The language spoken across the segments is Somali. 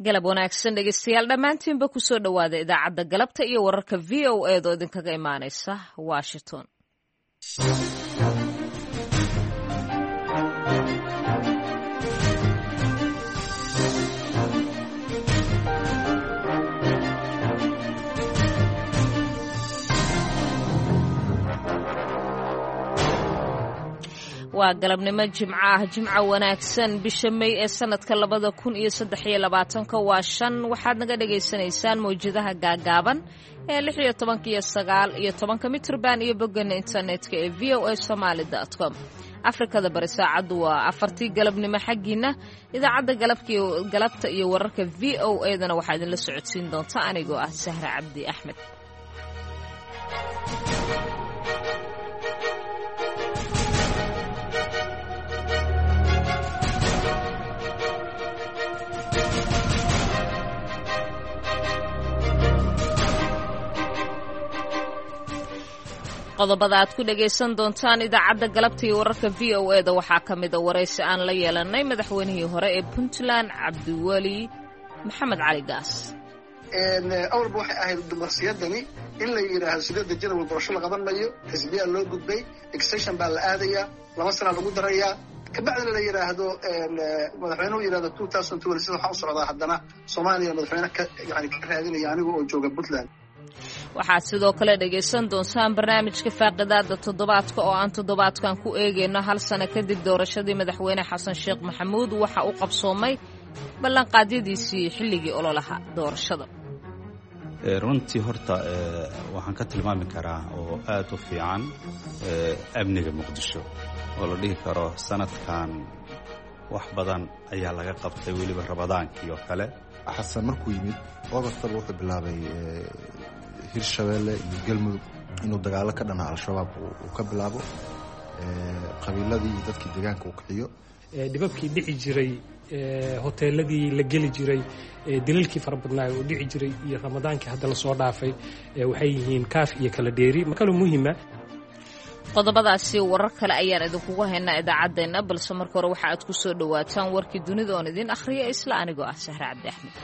Galab wanaagsan dhegeystayaal dhammaantiinba, kusoo dhowaada idaacadda galabta iyo wararka VOA doo idinkaga imaanaysa Washington. Waa galabnimo Jimco ah. Jimco wanaagsan. Bisha May ee sanadka 2023-ka waa 5. Waxaad naga dhagaysanaysaan mawjadaha gaagaaban ee 16-ka iyo 19-ka mitrban iyo boggana internetka ee voasomaly.com. Afrikada Bari saacaddu waa 4-tii galabnimo xaggiina. Idaacadda galabta iyo wararka VOA dana waxaa idinla socodsiin doonta anigoo ah Sahra Cabdi Axmed. Qodobada aad ku dhagaysan doontaan idaacadda galabta iyo wararka VOA da waxaa ka mida waraysi aan la yeelanay madaxweynihii hore ee Puntland, Cabdiweli Maxamed Cali Gaas. Awalba waxay ahayd dumarsiyadani in la yidhaahdo 8-da janawal doorasho la qaban mayo, xisbiyaa loo gudbay, extension baa la aadayaa, 2 sanaa lagu darayaa, kabacdina la yidhaahdo madaxweynuhu yidhahdo 2026 waxaa u socdaa haddana Soomaaliya madaxweyne ka yani ka raadinaya aniga oo jooga Puntland. Waxaad sidoo kale dhegaysan doontaan barnaamijka faaqidaada toddobaadka oo aan toddobaadkan ku eegayno hal sano kadib doorashadii madaxweyne Xasan Sheekh Maxamuud waxa uu qabsoomay ballanqaadyadiisii xilligii ololaha doorashada. Runtii horta waxaan ka tilmaami karaa oo aad u fiican amniga Muqdisho oo la dhihi karo sanadkan wax badan ayaa laga qabtay, weliba Ramadaankii oo kale. Xasan markuu yimid Augustaba wuxuu bilaabay Hirshabeelle iyo Galmudug inuu dagaalo ka dhana Al-Shabaab uu ka bilaabo, qabiiladii iyo dadkii deegaanka uu kiciyo. Dhibabkii dhici jiray, hoteeladii la geli jiray, dilalkii fara badnaay oo dhici jiray iyo Ramadaankii hadda lasoo dhaafay waxay yihiin kaaf iyo kala dheeri kaloo muhiima. Qodobadaasi warar kale ayaan idinkugu haynaa idaacaddeenna, balse marka hore waxa aad ku soo dhowaataan warkii dunida oon idiin akhriya isla anigoo ah Sahre Cabdi Axmed.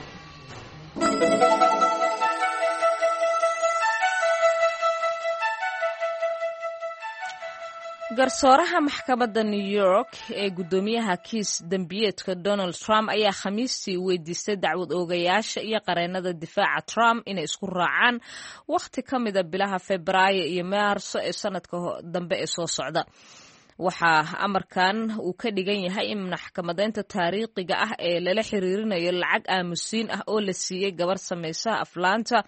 Garsooraha maxkamadda New York ee guddoomiyaha kiis dembiyeedka Donald Trump ayaa Khamiistii weydiistay dacwad oogayaasha iyo qareennada difaaca Trump inay isku raacaan wakhti ka mida bilaha Febraayo iyo Maarso ee sanadka dambe ee soo socda. Waxaa amarkan uu ka dhigan yahay in maxkamadeynta taariikhiga ah ee lala xiriirinayo lacag aamusiin ah oo la siiyey gabar samaysaha aflaanta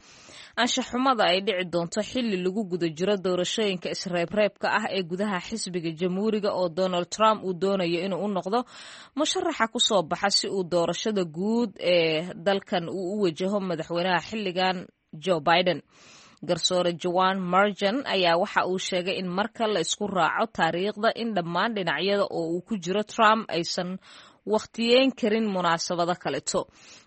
anshaxumada ay dhici doonto xilli lagu guda jiro doorashooyinka isreebreebka ah ee gudaha xisbiga Jamhuuriga, oo Donald Trump uu doonayo inuu u noqdo musharaxa kusoo baxa si uu doorashada guud ee dalkan uu u wajaho madaxweynaha xilligan Joe Biden. Garsoore Joan Marjan ayaa waxa uu sheegay in marka la isku raaco taariikhda in dhammaan dhinacyada oo uu ku jiro Trump aysan wakhtiyeyn karin munaasabado kaleto.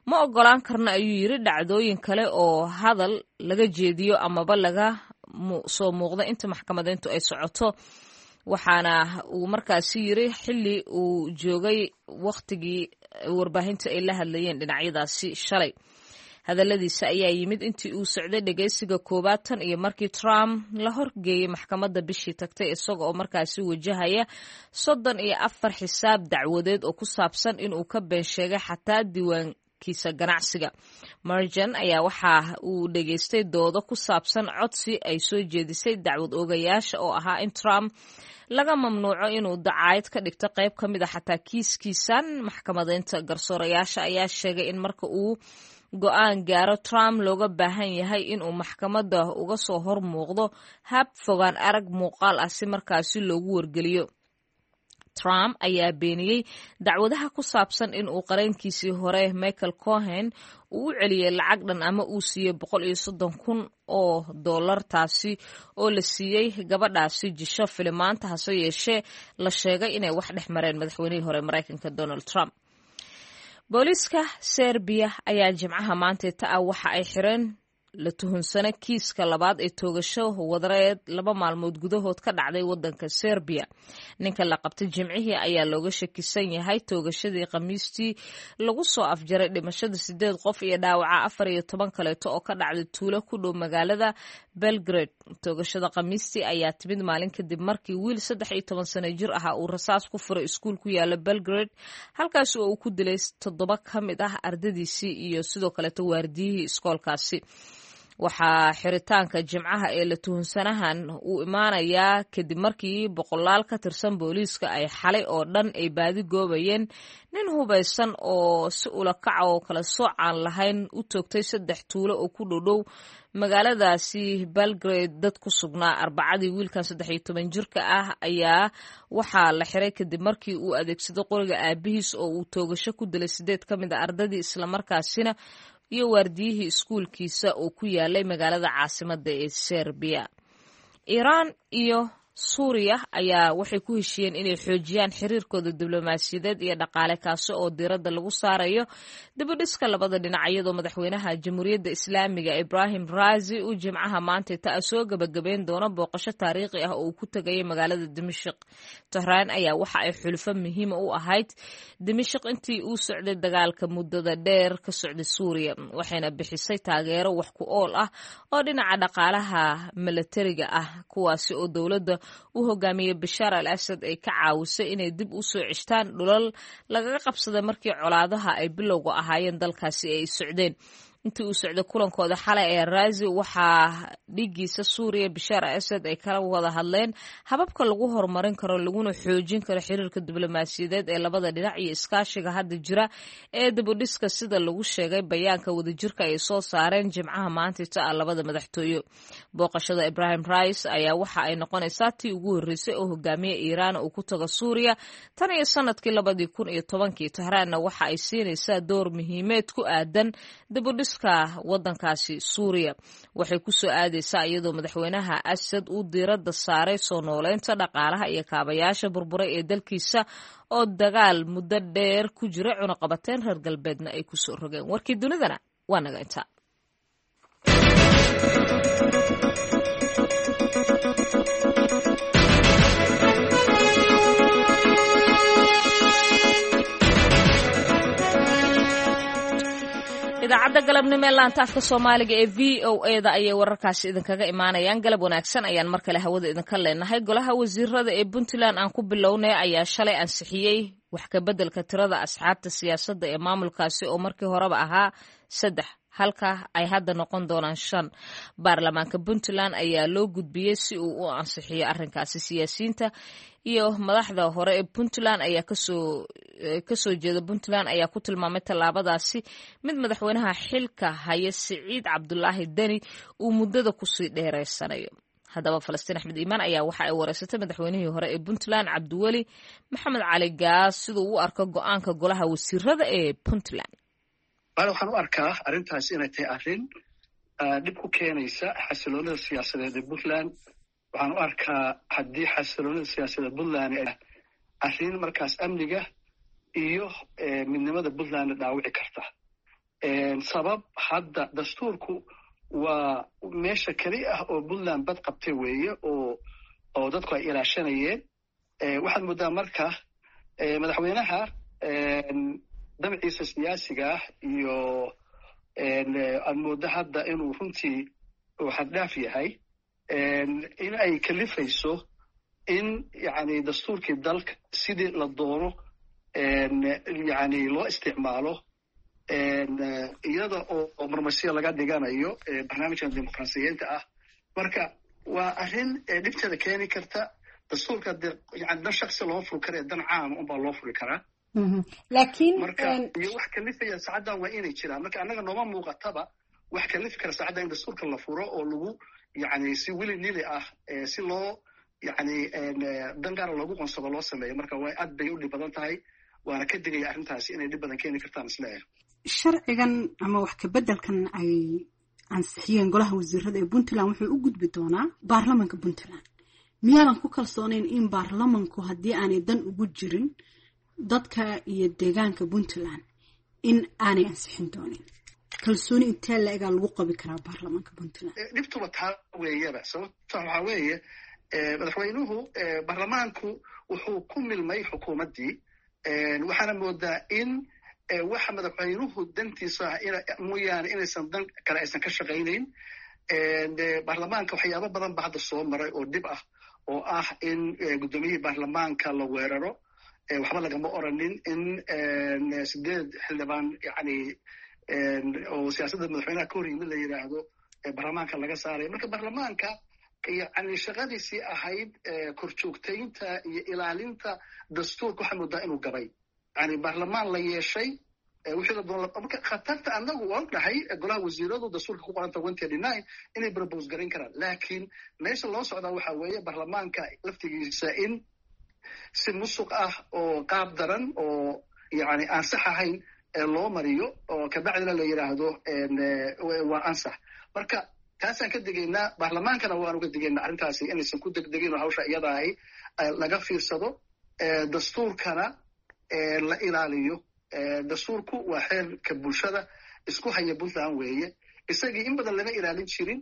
Ma ogolaan karno, ayuu yiri, dhacdooyin kale oo hadal laga jeediyo amaba laga soo muuqda inta maxkamadeyntu ay socoto. Waxaana uu markaasi yiri xilli uu joogay wakhtigii warbaahinta ay la hadlayeen dhinacyadaasi shalay. Hadalladiisa ayaa yimid intii uu socday dhegeysiga koowaad tan iyo markii Trump la horgeeyey maxkamadda bishii tagtay, isaga oo markaasi wajahaya 34 xisaab dacwadeed oo ku saabsan inuu ka been sheegay xataa diiwaankiisa ganacsiga. Marjan ayaa waxa uu dhegeystay doodo ku saabsan codsi ay soo jeedisay dacwad oogayaasha oo ahaa in Trump laga mamnuuco inuu dacaayad ka dhigto qayb ka mid a xataa kiiskiisan maxkamadeynta. Garsoorayaasha ayaa sheegay in marka uu go-aan gaaro Trump looga baahan yahay inuu maxkamadda uga soo hor muuqdo hab fogaan arag muuqaal ah si markaasi loogu wargeliyo. Trump ayaa beeniyey dacwadaha ku saabsan in uu qareenkiisii hore Michael Cohen uu u celiyey lacag dhan ama uu siiyey $130,000, taasi oo la siiyey gabadhaasi jisho filimaanta, hase yeeshee la sheegay inay wax dhex mareen madaxweynihii hore Maraykanka Donald Trump. Booliiska Serbiya ayaa Jimcaha maanteeta ah waxa ay xireen La tuhunsana kiiska labaad ee toogasho wadareed 2 maalmood gudahood ka dhacday wadanka Serbiya. Ninka la qabtay Jimcihii ayaa looga shakisan yahay toogashadii Khamiistii lagu soo afjaray dhimashada 8 qof iyo dhaawaca 14 kaleeto oo ka dhacday tuulo ku dhow magaalada Belgrade. Toogashada Khamiistii ayaa timid maalin kadib markii wiil 13 sano jir ahaa uu rasaas ku furay iskuul ku yaala Belgrade, halkaas oo uu ku dilay 7 ka mid ah ardadiisii iyo sidoo kaleeto waardiyihii iskoolkaasi. Waxaa xiritaanka Jimcaha ee la tuhunsanahan uu imaanayaa kadib markii boqolaal ka tirsan booliiska ay xalay oo dhan ay baadi goobayeen nin hubaysan oo si ulakaca oo kala soocaan lahayn u toogtay 3 tuulo oo ku dhowdhow magaaladaasi Belgrade dad ku sugnaa Arbacadii. Wiilkan 13 jirka ah ayaa waxaa la xiray kadib markii uu adeegsaday qoriga aabihiis oo uu toogasho ku dilay 8 ka mid a ardadii islamarkaasina iyo waardiyihii iskuulkiisa oo ku yaalay magaalada caasimadda ee Serbiya. Iiraan iyo Suuriya ayaa waxay ku heshiiyeen inay xoojiyaan xiriirkooda diblomaasiyadeed iyo dhaqaale, kaasi oo diiradda lagu saarayo dibudhiska labada dhinac, iyadoo madaxweynaha Jamhuuriyadda Islaamiga Ibrahim Raisi uu Jimcaha maanta taa soo gebagabeyn doono booqasho taariikhi ah oo uu ku tegayay magaalada Dimashik. Tehraan ayaa waxa ay xulufo muhiima u ahayd Dimashik intii uu socday dagaalka muddada dheer ka socday Suuriya, waxayna bixisay taageero wax ku ool ah oo dhinaca dhaqaalaha milatariga ah, kuwaasi oo dowladda u hogaamiyey Bashaar al Asad ay ka caawisay inay dib u soo ceshtaan dhulal lagaga qabsaday markii colaadaha ay bilowga ahaayeen dalkaasi ay socdeen. Intii uu socday kulankooda xalay ee Raasi waxaa dhigiisa Suuriya Bashaar al Asad ay kala wada hadleen hababka lagu horumarin karo laguna xoojin karo xiriirka diblomaasiyadeed ee labada dhinac iyo iskaashiga hadda jira ee dibudhiska, sida lagu sheegay bayaanka wadajirka ay soo saareen Jimcaha maantita ah labada madaxtooyo. Booqashada Ibrahim Rais ayaa waxa ay noqonaysaa tii ugu horreysay oo hogaamiye Iiraan uu ku tago Suuriya tan iyo sanadkii 2010-kii. Tahraanna waxa ay siinaysaa door muhiimeed ku aadan dibudhiska wadankaasi Suuriya. Waxay ku soo aadaysaa iyadoo madaxweynaha Asad uu diiradda saaray soo nooleynta dhaqaalaha iyo kaabayaasha burburay ee dalkiisa oo dagaal muddo dheer ku jira, cunaqabateyn reer galbeedna ay kusoo rogeen. Warkii dunidana waa naga intaa. Idaacadda galabnimo ee laanta afka Soomaaliga ee v o e da ayay wararkaasi idinkaga imaanayaan. Galab wanaagsan ayaan mar kale hawada idinka leenahay. Golaha wasiirada ee Puntland aan ku bilownay ayaa shalay ansixiyey wax kabeddelka tirada asxaabta siyaasadda ee maamulkaasi oo markii horeba ahaa 3, halka ay hadda noqon doonaan 5. Baarlamaanka Puntland ayaa loo gudbiyey si uu u ansixiyo arrinkaasi. Siyaasiyiinta iyo madaxda hore ee Puntland ayaa kasoo jeeda Puntland ayaa ku tilmaamay tallaabadaasi mid madaxweynaha xilka haya Siciid Cabdulaahi Deni uu muddada kusii dheereysanayo. Haddaba Falastiin Axmed Iimaan ayaa waxa ay wareysatay madaxweynihii hore ee Puntland Cabdiweli Maxamed Cali Gaas siduu u arko go-aanka golaha wasiirada ee Puntland. Waxaan u arkaa arrintaasi inay tahay arrin dhib ku keenaysa xasiloonida siyaasadeed ee Puntland. Waxaan u arkaa haddii xasiloonida siyaasadeed Puntland arrin markaas amniga iyo midnimada Puntlandna dhaawici karta. Sabab hadda dastuurku waa meesha keli ah oo Puntland bad qabtay weeye oo dadku ay ilaashanayeen. Waxaad moodaa marka madaxweynaha dabciisa siyaasiga ah iyo aad mooddo hadda inuu runtii uu xaddhaaf yahay, in ay kalifayso in yani dastuurkii dalka sidii la doono yani loo isticmaalo, iyada oo marmarsiya laga dhiganayo barnaamijkan dimuqraasiyiinta ah. Marka waa arrin dhibteeda keeni karta. Dastuurka de yani dan shaksi loo furi kara, dan caama unbaa loo furi karaa. Laakiin marka iyo wax kalifaya saacaddan waa inay jiraan. Marka annaga nooma muuqataba wax kalifi kara saacaddan in dastuurka la furo oo lagu yani si wili nili ah si loo yani dan gaara loogu qonsado loo sameeyo. Marka waa aad bay u dhib badan tahay, waana ka digaya arrintaasi inay dhib badan keeni kartaan isleeyahay. Sharcigan ama wax kabeddelkan ay ansixiyeen golaha wasiirada ee Puntland wuxuu u gudbi doonaa baarlamanka Puntland. Miyaadan ku kalsoonayn in baarlamanku haddii aanay dan ugu jirin dadka iyo deegaanka Puntland in aanay ansixin doonin? Kalsooni intee la-egaa lagu qabi karaa baarlamaanka Puntland? Dhibtuba taa weeyaba. Sababta waxaa weeye, madaxweynuhu, baarlamaanku wuxuu ku milmay xukuumaddii. Waxaana moodaa in waxa madaxweynuhu dantiisa ah mooyaane inaysan dan kale aysan ka shaqaynayn. Baarlamaanka waxyaabo badan ba hadda soo maray oo dhib ah, oo ah in guddoomiyihii baarlamaanka la weeraro, waxba lagama oranin, in 8 xildhibaan yani oo siyaasadda madaxweynaha ka hor yimid la yidhaahdo baarlamaanka laga saaray. Marka baarlamaanka yani shaqadiisii ahayd korjoogtaynta iyo ilaalinta dastuurka waxaa moodaa inuu gabay. Yani baarlamaan la yeeshay wixii la doon. Marka khatarta annagu waan dhahay, golaha wasiiradu dastuurka ku qoranta 139 inay propose garayn karaan, laakiin meesha loo socdaa waxa weeye baarlamaanka laftigiisa in si musuq ah oo qaab daran oo yani aan sax ahayn loo mariyo, oo kabacdina la yidhaahdo waa ansax. Marka taasaan ka digaynaa, baarlamaankana waanu ka digaynaa arrintaasi inaysan ku degdegin oo hawsha iyada ahi laga fiirsado, dastuurkana la ilaaliyo. Dastuurku waa xeerka bulshada isku haya Puntland weeye. Isagii in badan lama ilaalin jirin,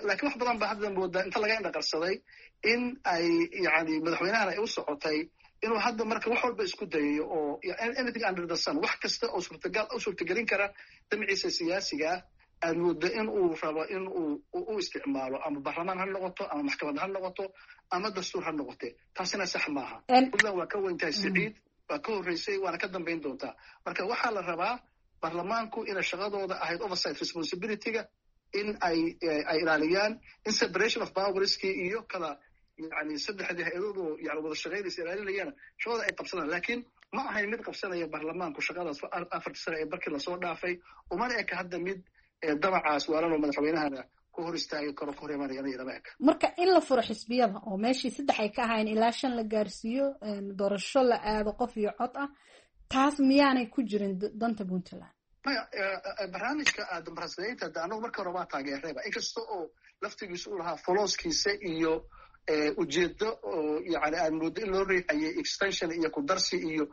lakiin wax badan ba hadda moodaa inta laga indhaqarsaday in ay yani madaxweynahan ay u socotay inuu hadda marka wax walba isku dayayo oo anything under the sun, wax kasta oo suurtagal u suurtagelin kara damciisa siyaasiga ah aad moodo in uu rabo in uu u isticmaalo, ama baarlamaan ha noqoto, ama maxkamad ha noqoto, ama dastuur ha noqote. Taasina sax maaha. Puntland waa ka weyntahay Siciid, waa ka horreysay, waana ka dambayn doontaa. Marka waxaa la rabaa baarlamaanku inay shaqadooda ahayd oversight responsibilityga in ay ilaaliyaan, in separation of powerski iyo kala yani saddexdii hay-adoodu yani wada shaqaynaysa ilaalinayana shaqada ay qabsadaan. Laakiin ma ahayn mid qabsanaya baarlamaanku shaqadaas 4-tii sano ee barkii lasoo dhaafay, umana eka hadda mid damacaas waalanoo madaxweynahana ku hor istaagi karo, ku hor imanayana ilama eka. Marka in la furo xisbiyada oo meeshii 3 ay ka ahayn ilaa 5 la gaarsiiyo, doorasho la aado qof iyo cod ah, taas miyaanay ku jirin danta Puntland? Maya, barnaamijka dimuqraasiyeynta de anagu marka hore waa taageerayba, inkasta oo laftigiisa u lahaa folooskiisa iyo ujeedo oo yani aan moodo in loo riixayay extension iyo kudarsi iyo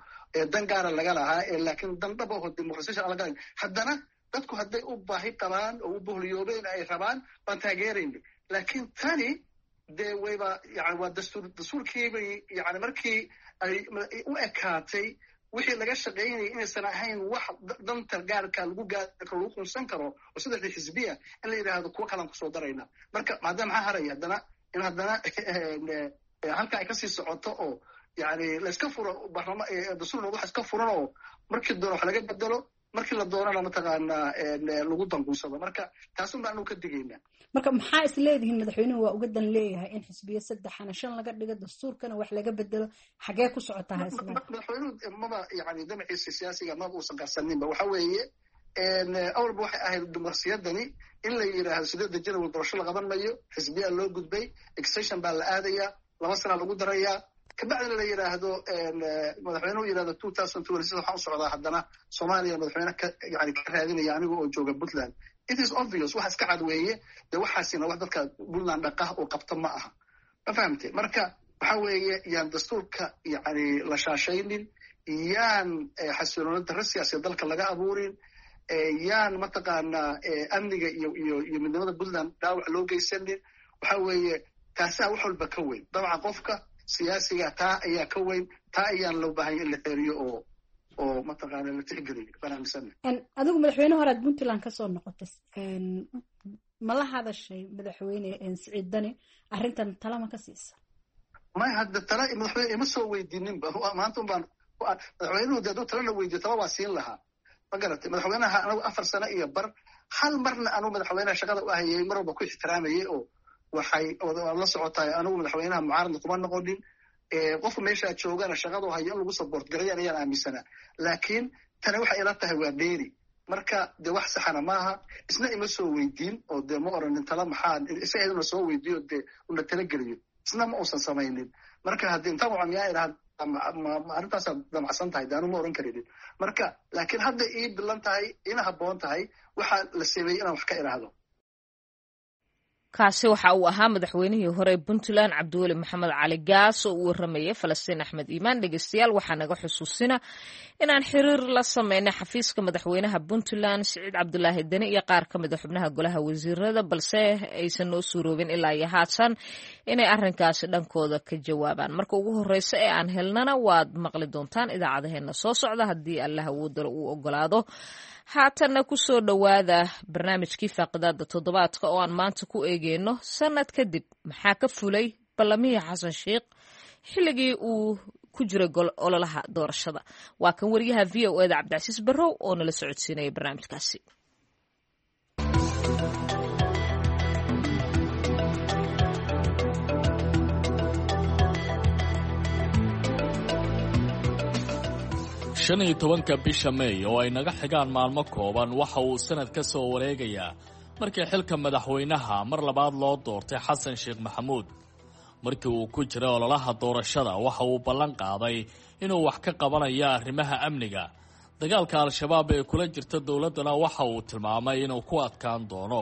dan gaara laga lahaa, laakiin dan dhab aho dimuqrasiyashan aan laga lahayn. Haddana dadku hadday u baahi qabaan oo u bohliyoobeen ay rabaan, baan taageerayna. Laakiin tani dee wayba yani waa dastuur, dastuurkiibay yani markii ay u ekaatay wixii laga shaqaynayay inaysan ahayn wax danta gaarka lagu gaarka lagu qunsan karo oo saddexdii xisbiya in la yidhaahdo kuwo kalaan kusoo darayna. Marka maadaama maxaa haraya haddana in haddana halka ay kasii socoto oo yani layska furo baarlama dastuur, wax iska furan oo markii doona wax laga bedelo, markii la doonana mataqaanaa lagu danquunsado. Marka taasun baan anu ka digaynaa. Marka maxaa is leedihiin madaxweynuhu waa uga dan leeyahay in xisbiyo saddexana shan laga dhigo, dastuurkana wax laga bedelo? Xagee ku socotaa ha? Madaxweynuhu maba yani damaciisa siyaasiga maba uusan qarsaninba. Waxa weeye, awalba waxay ahayd dimuqrasiyadani in la yidhaahdo 8-da Janawari doorasho la qaban mayo, xisbiyaa loo gudbay, extension baa la aadayaa, 2 sana lagu darayaa, kabacdina la yidhaahdo madaxweynuhu yidhahdo 2026 waxaan u socdaa haddana Soomaaliya madaxweyne ka yani ka raadinaya aniga oo jooga Puntland. It is obvious, wax iska cad weeye. Dee waxaasina wax dadka Puntland dhaqah oo qabta ma aha, ma fahamtay? Marka waxa weeye, yaan dastuurka yani la shaashaynin, yaan xasiloona darro siyaasadeed dalka laga abuurin, yaan mataqaanaa amniga iyo midnimada Puntland dhaawac loo geysanin. Waxa weeye taasaa wax walba ka weyn. Dabcan qofka siyaasiga taa ayaa ka weyn, taa ayaan loo baahanya in la xeeriyo oo mataqaana la tixgeliyo baan aaminsana. Adigu madaxweyne horead Puntland kasoo noqotay, ma la hadashay madaxweyne Siciid Dani arrintan? Talama ka siisa? May, hadda tala madaxweyne ima soo weydiininba. Maanta un baan madaxweynuhu de hadduu talana weydiyo tala waa siin lahaa, ma garatay? Madaxweynaha anagu 4 sano iyo bar hal marna anuu madaxweynaha shaqada u ahayay mar walba ku ixtiraamayay oo waxay waad la socotaay, anigu madaxweynaha mucaaradna kuma noqonin. Qofka meeshaa joogana shaqadu hayo in lagu support garayaan ayaan aaminsanaa. Laakiin tani waxay ila tahay waa dheeri. Marka dee wax saxana maaha, isna ima soo weydiin oo dee ma oranin tala maxaa isaga una soo weydiiyo dee una talageliyo, isna ma uusan samaynin. Marka haddii intaan waca miyaa idhaha arrintaasaad damacsan tahay, de anu ma oran karinin. Marka laakiin hadda ii bilan tahay, ina habboon tahay waxaa la sameeyey inaan wax ka idhaahdo. Kaasi waxa uu ahaa madaxweynihii hore Puntland Cabdiweli Maxamed Cali Gaas oo u waramayay Falastiin Axmed Iimaan. Dhegeystayaal, waxaa naga xusuusina inaan xiriir la sameynay xafiiska madaxweynaha Puntland Siciid Cabdulaahi Deni iyo qaar ka mid a xubnaha golaha wasiirada, balse aysan noo suuroobin ilaa iyo haatan inay arrinkaasi dhankooda ka jawaabaan. Marka ugu horeysa ee aan helnana waad maqli doontaan idaacadaheena soo socda haddii Allah awoodalo uu ogolaado. Haatanna kusoo dhowaada barnaamijkii faaqidaada toddobaadka oo aan maanta ku eegeyno sanad kadib maxaa ka fulay ballamihii Xasan Sheikh xilligii uu ku jiray ololaha doorashada. Waa kan wariyaha VOA da Cabdicasiis Barrow oo nala socodsiinaya barnaamijkaasi. 15-ka bisha Meey oo ay naga xigaan maalmo kooban waxa uu sanad ka soo wareegayaa markii xilka madaxweynaha mar labaad loo doortay Xasan Sheekh Maxamuud. Markii uu ku jiray ololaha doorashada waxa uu ballan qaaday inuu wax ka qabanayo arrimaha amniga. Dagaalka Al-Shabaab ee kula jirta dowladdana waxa uu tilmaamay inuu ku adkaan doono.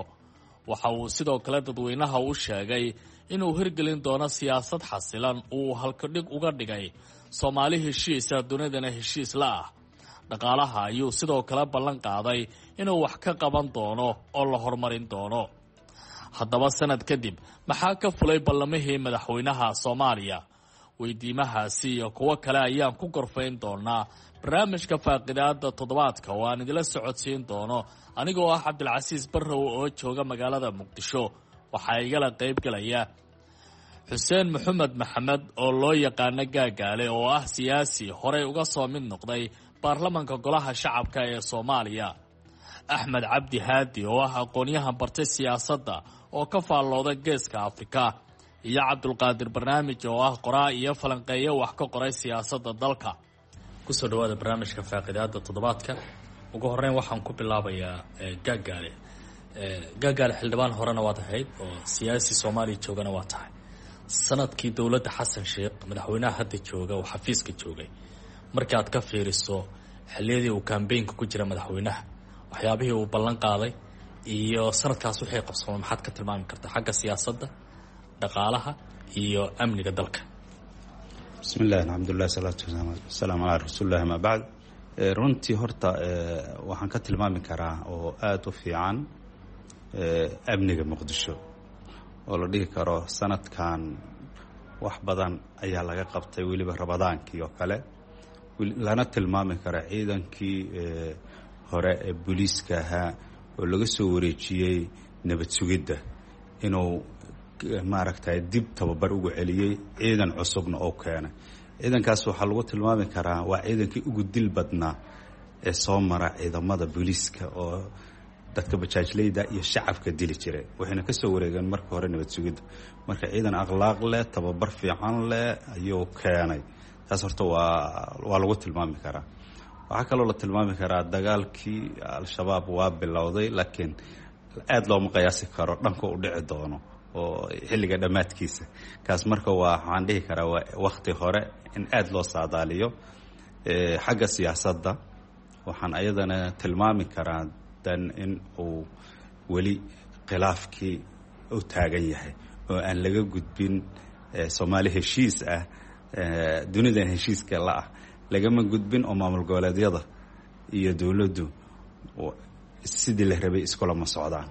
Waxa uu sidoo kale dadweynaha u sheegay inuu hirgelin doono siyaasad xasilan uu halkadhig uga dhigay Soomaali heshiisa, dunidana heshiis la ah. Dhaqaalaha ayuu sidoo kale ballan qaaday inuu wax ka qaban doono oo la horumarin doono. Haddaba sanad kadib maxaa ka fulay ballamihii madaxweynaha Soomaaliya? Weydiimahaasi iyo kuwo kale ayaan ku gorfayn doonaa barnaamijka faaqidaada toddobaadka oo aan idila socodsiin doono anigoo ah Cabdilcasiis Barrow oo jooga magaalada Muqdisho. Waxaa igala qaybgalaya Xuseen Maxamed Maxamed oo loo yaqaano Gaagaale oo ah siyaasi horey uga soo mid noqday baarlamanka golaha shacabka ee Soomaaliya, Axmed Cabdi Haadi oo ah aqoon-yahan bartay siyaasadda oo ka faallooda geeska Afrika, iyo Cabdulqaadir Barnaamij oo ah qoraa iyo falanqeeyo wax ka qoray siyaasadda dalka. Kusoo dhawaada barnaamijka faaqidaada toddobaadka. Ugu horeyn waxaan ku bilaabayaa Gaagaale. Gaagaale, xildhibaan horena waad ahayd oo siyaasi Soomaaliya joogana waa tahay. Sanadkii dowladda Xasan Sheekh, madaxweynaha hadda jooga oo xafiiska joogay, markii aad ka fiiriso xilliyadii uu kambeynka ku jira madaxweynaha, waxyaabihii uu ballan qaaday iyo sanadkaas wixii qabsoomay, maxaad ka tilmaami kartaa xagga siyaasadda, dhaqaalaha iyo amniga dalka? Bismi illahi, alxamdulilah, salaatu wasalaamu calaa rasuulillahi, amaa bacd. Runtii horta waxaan ka tilmaami karaa oo aada u fiican amniga Muqdisho oo la dhihi karo sanadkan wax badan ayaa laga qabtay, weliba Ramadaankii oo kale, lana tilmaami karo ciidankii hore ee booliiska ahaa oo laga soo wareejiyey nabad sugidda inuu maaragtay dib tababar ugu celiyey, ciidan cusubna oo keenay. Ciidankaas waxaa lagu tilmaami karaa waa ciidankii ugu dil badnaa ee soo mara ciidamada booliiska oo dadka bajaajleyda iyo shacabka dili jiray, waxayna ka soo wareegeen marka hore nabad sugidda. Marka ciidan akhlaaq leh, tababar fiican leh ayuu keenay. Taas horta waa lagu tilmaami karaa. Waxaa kaloo la tilmaami karaa dagaalkii Al-Shabaab waa bilowday, laakiin aada looma qiyaasi karo dhanka u dhici doono oo xilliga dhammaadkiisa. Kaas marka waa waxaan dhihi karaa waa wakti hore in aada loo saadaaliyo. Xagga siyaasadda waxaan ayadana tilmaami karaa dan in uu weli khilaafkii u taagan yahay oo aan laga gudbin Soomaali heshiis ah, dunidan heshiiska la ah lagama gudbin, oo maamul goboleedyada iyo dowladdu sidii la rabay iskulama socdaan.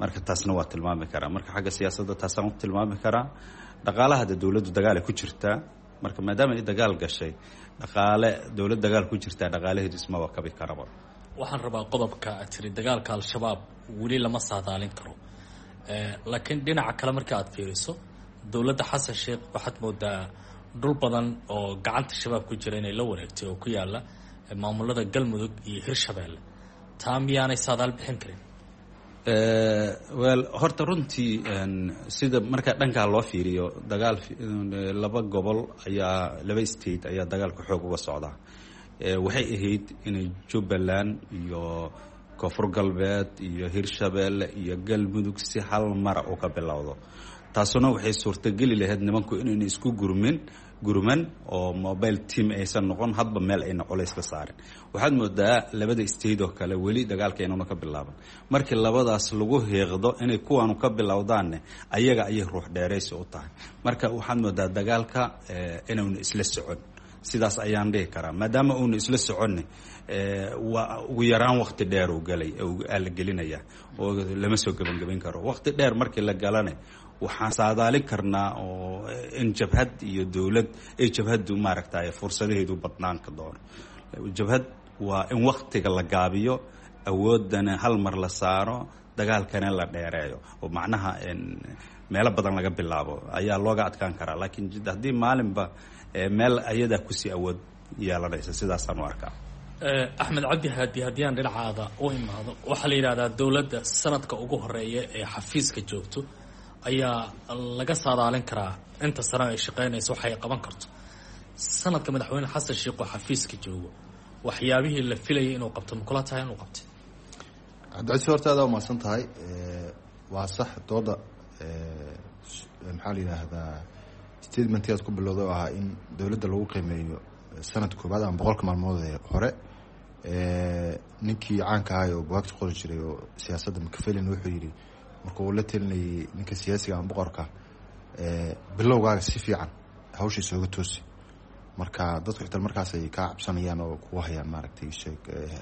Marka taasna waa tilmaami karaa. Marka xagga siyaasadda taasaan u tilmaami karaa. Dhaqaalaha de dowladdu dagaalay ku jirtaa. Marka maadaama ay dagaal gashay, dhaqaale dowlad dagaal ku jirtaa dhaqaalaheedu ismaba kabi karaba. Waxaan rabaa qodobka aad tiri dagaalka Al-Shabaab weli lama saadaalin karo, laakiin dhinaca kale marka aad fiiriso dowladda Xasan Sheekh waxaad moodaa dhul badan oo gacanta Shabaab ku jira inay la wareegtay oo ku yaala maamulada Galmudug iyo Hirshabeelle. Taa miyaanay saadaal bixin karin? Well, horta runtii sida marka dhankaa loo fiiriyo, dagaal laba gobol ayaa, laba state ayaa dagaalka xoog uga socdaa. Waxay ahayd inay Jubbaland iyo Koonfur Galbeed iyo Hirshabeelle iyo Galmudug si hal mara uu ka bilowdo. Taasuna waxay suurtogeli lahayd nimanku inayna isku gurmin gurman oo mobile team aysan noqon, hadba meel ayna culays ka saarin. Waxaad moodaa labada state oo kale weli dagaalka inuuna ka bilaaban. Markii labadaas lagu hiiqdo inay kuwaanu ka bilowdaanne, ayaga ayay ruux dheeraysi u tahay. Marka waxaad moodaa dagaalka inuuna isla socon, sidaas ayaan dhihi karaa. Maadaama uuna isla soconne, waa ugu yaraan wakti dheer uu galay la gelinaya oo lama soo gebangeban karo. Wakti dheer markii la galane, waxaan saadaalin karnaa oo in jabhad iyo dowlad ay jabhaddu maaragtay fursadaheedu badnaan ka doono. Jabhad waa in waktiga la gaabiyo, awoodana hal mar la saaro, dagaalkana la dheereeyo, oo macnaha meelo badan laga bilaabo ayaa looga adkaan karaa. Laakiin haddii maalinba meel ayadaa kusii awood yeelanaysa, sidaasaan u arkaa. Axmed Cabdi Haadi, haddii aan dhinacaada u imaado, waxaa la yidhahdaa dowladda sanadka ugu horeeya ee xafiiska joogto ayaa laga saadaalin karaa inta sano ay shaqeynayso waxay qaban karto. Sanadka madaxweyne Xasan Sheikh oo xafiiska joogo, waxyaabihii la filayay inuu qabto ma kula tahay inuu qabtay? Cabdicasiis, horta adaa umahadsan tahay. Waa sax dooda, maxaa la yidhaahdaa, statementii aad ku bilowday oo ahaa in dowladda lagu qiimeeyo sanad koobaad ama 100-ka maalmood ee hore. Ninkii caanka ahay oo buwaagta qori jiray oo siyaasadda, Machiavelli, wuxuu yidhi marka uu la telinayay ninka siyaasiga ama boqorka, bilowgaaga si fiican hawsha isooga toosi, marka dadku xitaa markaas ay kaa cabsanayaan oo kugu hayaan, maaragtay, sheeg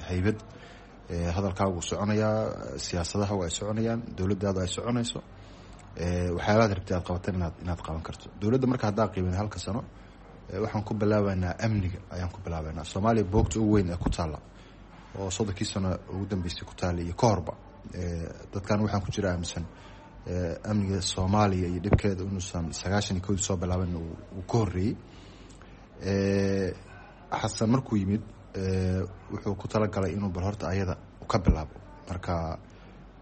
haybad, hadalkaagu soconayaa, siyaasadaha ay soconayaan, dowladdaadu ay soconayso, waxyaabaad rabtay aad qabatan inaad qaban karto. Dowladda marka haddaa qiimin halka sano, waxaan ku bilaabaynaa amniga ayaan ku bilaabaynaa. Soomaaliya boogta ugu weyn ee ku taalla oo 30-kii sano ugu dambeysay ku taalla iyo ka horba, dadkan waxaan ku jira aaminsan amniga Soomaaliya iyo dhibkeeda inuusan 91-dii soo bilaaban, uu ka horreeyey. Xasan markuu yimid wuxuu ku talagalay inuu bal horta ayada ka bilaabo. Marka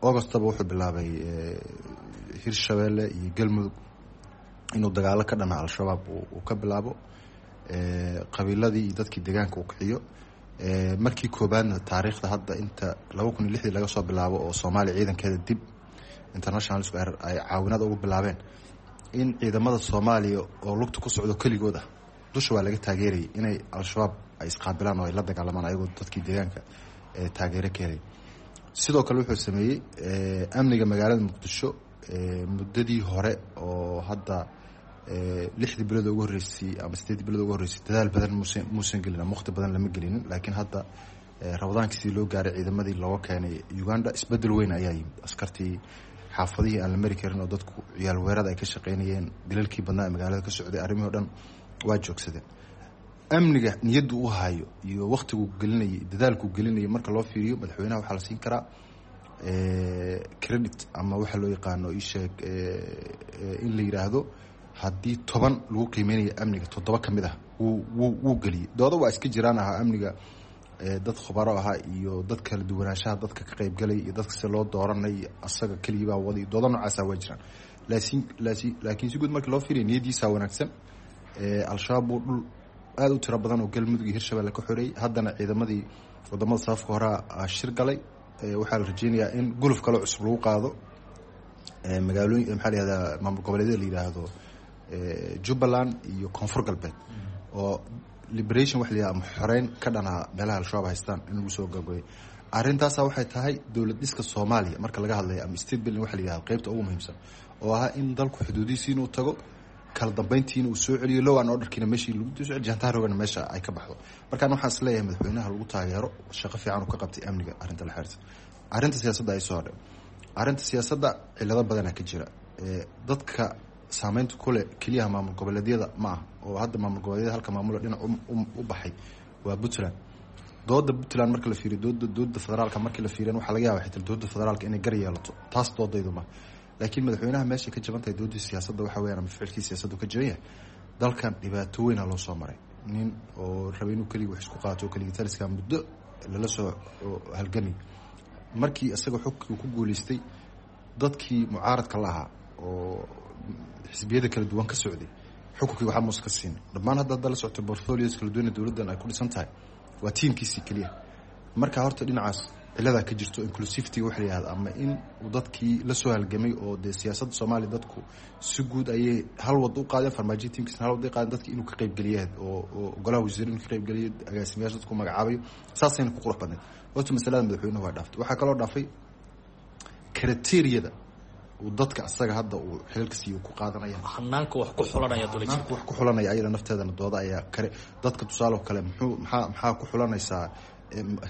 Augustaba wuxuu bilaabay Hirshabeelle iyo Galmudug inuu dagaalo ka dhana Al-Shabaab uu ka bilaabo, qabiiladii iyo dadkii deegaanka uu kiciyo. Markii koobaadna taariikhda hadda inta 2006-dii laga soo bilaabo oo Soomaaliya ciidankeeda dib international ay caawinada ugu bilaabeen, in ciidamada Soomaaliya oo lugta ku socdo keligood ah, dusha waa laga taageerayay, inay Al-Shabaab ay isqaabilaan oo ay la dagaalamaan ayagoo dadkii deegaanka taageero ka helay. Sidoo kale wuxuu sameeyey amniga magaalada Muqdisho. Muddadii hore oo hadda 6-dii bilood ugu horreysay ama 8-dii bilood ugu horreysay dadaal badan muusan gelin ama waqti badan lama gelinin, laakiin hadda Ramadaankii sidii loo gaaray ciidamadii looga keenay Uganda, isbedel weyn ayaa yimid. Askartii xaafadihii aan la mari karin oo dadku ciyaal weerada ay ka shaqeynayeen, dilalkii badnaa ee magaalada ka socday, arrimihii o dhan waa joogsadeen. Amniga niyaddu u hayo iyo waktiguu gelinayay, dadaalkuu gelinayay marka loo fiiriyo, madaxweynaha waxaa la siin karaa credit ama waxaa loo yaqaano isheeg in la yidhaahdo haddii 10 lagu qiimeynayo amniga, 7 ka mid ah wuu geliyey. Dooda waa iska jiraan ahaa amniga, dad khubaro ahaa iyo dad kala duwanaanshaha dadka ka qaybgalay iyo dadka si loo dooranay, asaga keligii baa waday, dooda noocaasa waa jiraan. Laakiin si guud markii loo fiiriyo, niyadiisaa wanaagsan. Al-Shabaab buu dhul aada u tiro badan oo Galmudug iyo Hirshabelle ka xoreeyey. Haddana ciidamadii wadamada safafka horaa shir galay. Waxaa la rajeynayaa in guluf kaloo cusub lagu qaado magaalooyin, maxaa la yihahdaa, maamul goboleedyada la yidhaahdo Jubbaland iyo Koonfur Galbeed, oo liberation wax la yihahdo ama xoreyn ka dhanaa meelaha Al-Shabaab haystaan in lagu soo gabgabeyo. Arrintaasa waxay tahay dowlad dhiska Soomaaliya marka laga hadlayo ama state building waxa la yihahdo qeybta ugu muhiimsan, oo ahaa in dalku xuduudihiisi inuu tago, kala dambeyntiina uu soo celiyo, law and orderkiina meeshii lagu soo celiyo, jantaarogana meesha ay ka baxdo. Markaan waxaan is leeyahay madaxweynaha lagu taageero shaqo fiican uu ka qabtay amniga. Arrinta la xiriirta arrinta siyaasadda ay soo hadhay, arrinta siyaasadda cilado badanaa ka jira. Dadka saameynta kule keliyaha maamul goboleedyada ma ah, oo hadda maamul goboleedyada halka maamulo dhinac u baxay waa Puntland. Dooda Puntland marka la fiiriyo, dooda federaalka markii la fiiriyan, waxaa laga yaaba xitaa dooda federaalka inay gar yeelato. Taas doodaydu ma, laakiin madaxweynaha meesha ka jaban tahay doodii siyaasadda waxa weyaan ama ficilkii siyaasaddu ka jaban yahay, dalkan dhibaato weyna loo soo maray. Nin oo rabay inuu keligii wax isku qaato oo keligii taliska muddo lala soo halgamay, markii isaga xogkii ku guuleystay, dadkii mucaaradka la ahaa oo xisbiyada kala duwan ka socday xukunkii waxaa muuse ka siin dhammaan. Hadda la socto portfolios kala duwan dowladdan ay ku dhisan tahay waa tiimkiisii keliya. Marka horta dhinacaas Ciladaa ka jirto inclusivity waxa la yihahda, ama in uu dadkii la soo halgamay oo dee siyaasadda Soomaaliya dadku si guud ayay hal wad u qaadeen, Farmaajo tiimkiisna hal wad ay qaadeen, dadki inuu ka qaybgeliya oo golaha wasiir inuu ka qaybgeliyo, agaasimayaasha dadku magacaabayo, saasayna ku qurux badnayd. Horta masalada madaxweynuhu waa dhaaftay. Waxaa kaloo dhaafay criteria-da uu dadka asaga hadda uu xilalka siiyo ku qaadanaya, hanaanka wax ku xulanaya. Hanaanka wax ku xulanaya ayada nafteedana dooda ayaa kare. Dadka tusaale oo kale, muxuu maxaa ku xulanaysaa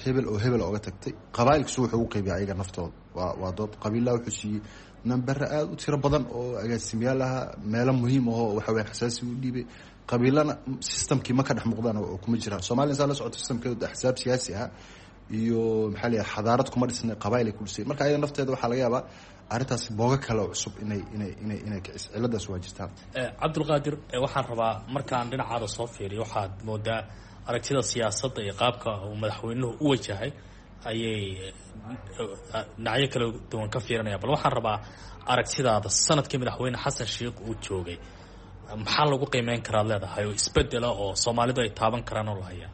hebel oo hebel oga tagtay? Qabaa'ilkiisu wuxuu ugu qaybiya ayaga naftooda waa dood. Qabiillaha wuxuu siiyey nambere aada u tiro badan oo agaasimayaal ahaa, meelo muhiim ahoo waxa weyan xasaasi u dhiibay. Qabiilana systemkii ma ka dhex muuqdaan oo kuma jiraan. Soomaliya saa la socoto systemkeedu axsaab siyaasi ah iyo maxaa la yidhaha xadaarad kuma dhisnay, qabaa'il ay ku dhisay. Marka ayada nafteeda waxaa laga yaabaa arrintaasi boogo kale oo cusub inay kicis. Ciladaas waa jirtaa. Cabdulqaadir, waxaan rabaa markaan dhinacaada soo fiiriyo, waxaad moodaa aragtida siyaasadda iyo qaabka uu madaxweynuhu u wajahay ayay dhinacyo kala duwan ka fiirinaya. Bal waxaan rabaa aragtidaada sanadkii madaxweyne Xasan Sheikh uu joogay, maxaa lagu qiimeyn karaad leedahay oo isbedela oo Soomaalidu ay taaban karaan oo la hayaa?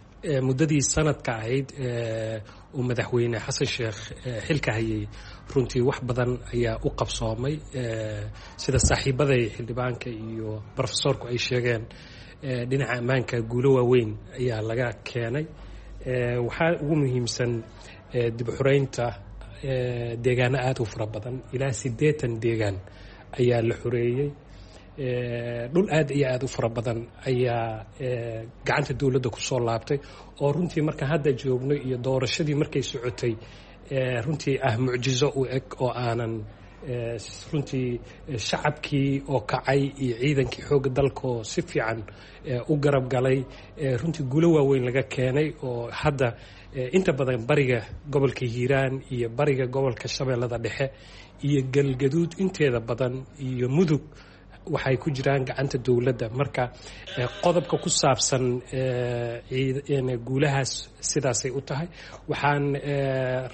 Muddadii sanadka ahayd uu madaxweyne Xasan Sheekh xilka hayay, runtii wax badan ayaa u qabsoomay. Sida saaxiibaday xildhibaanka iyo brofesoorku ay sheegeen, dhinaca ammaanka guulo waaweyn ayaa laga keenay. Waxaa ugu muhiimsan dib u xureynta deegaano aada u fara badan, ilaa 80 deegaan ayaa la xoreeyey. Dhul aad iyo aada u fara badan ayaa gacanta dowladda kusoo laabtay, oo runtii markaan hadda joogno iyo doorashadii markay socotay runtii ah mucjizo u eg, oo aanan runtii shacabkii oo kacay iyo ciidankii xoogga dalkaoo si fiican u garab galay, runtii guulo waaweyn laga keenay, oo hadda inta badan bariga gobolka Hiiraan iyo bariga gobolka Shabeellada Dhexe iyo Galgaduud inteeda badan iyo Mudug waxay ku jiraan gacanta dowladda. Marka qodobka ku saabsan guulahaas sidaasay u tahay. Waxaan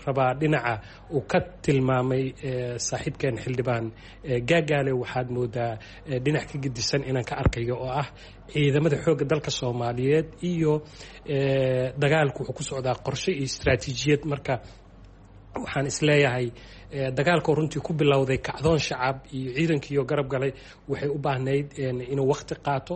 rabaa dhinaca uu ka tilmaamay saaxiibkeen xildhibaan Gaagaale, waxaad moodaa dhinac ka gedisan inaan ka arkayo, oo ah ciidamada xoogga dalka Soomaaliyeed iyo dagaalku wuxuu ku socdaa qorshe iyo istaraatiijiyad. Marka waxaan isleeyahay dagaalkoo runtii ku bilowday kacdoon shacab iyo ciidankiioo garab galay waxay u baahnayd inuu wakti qaato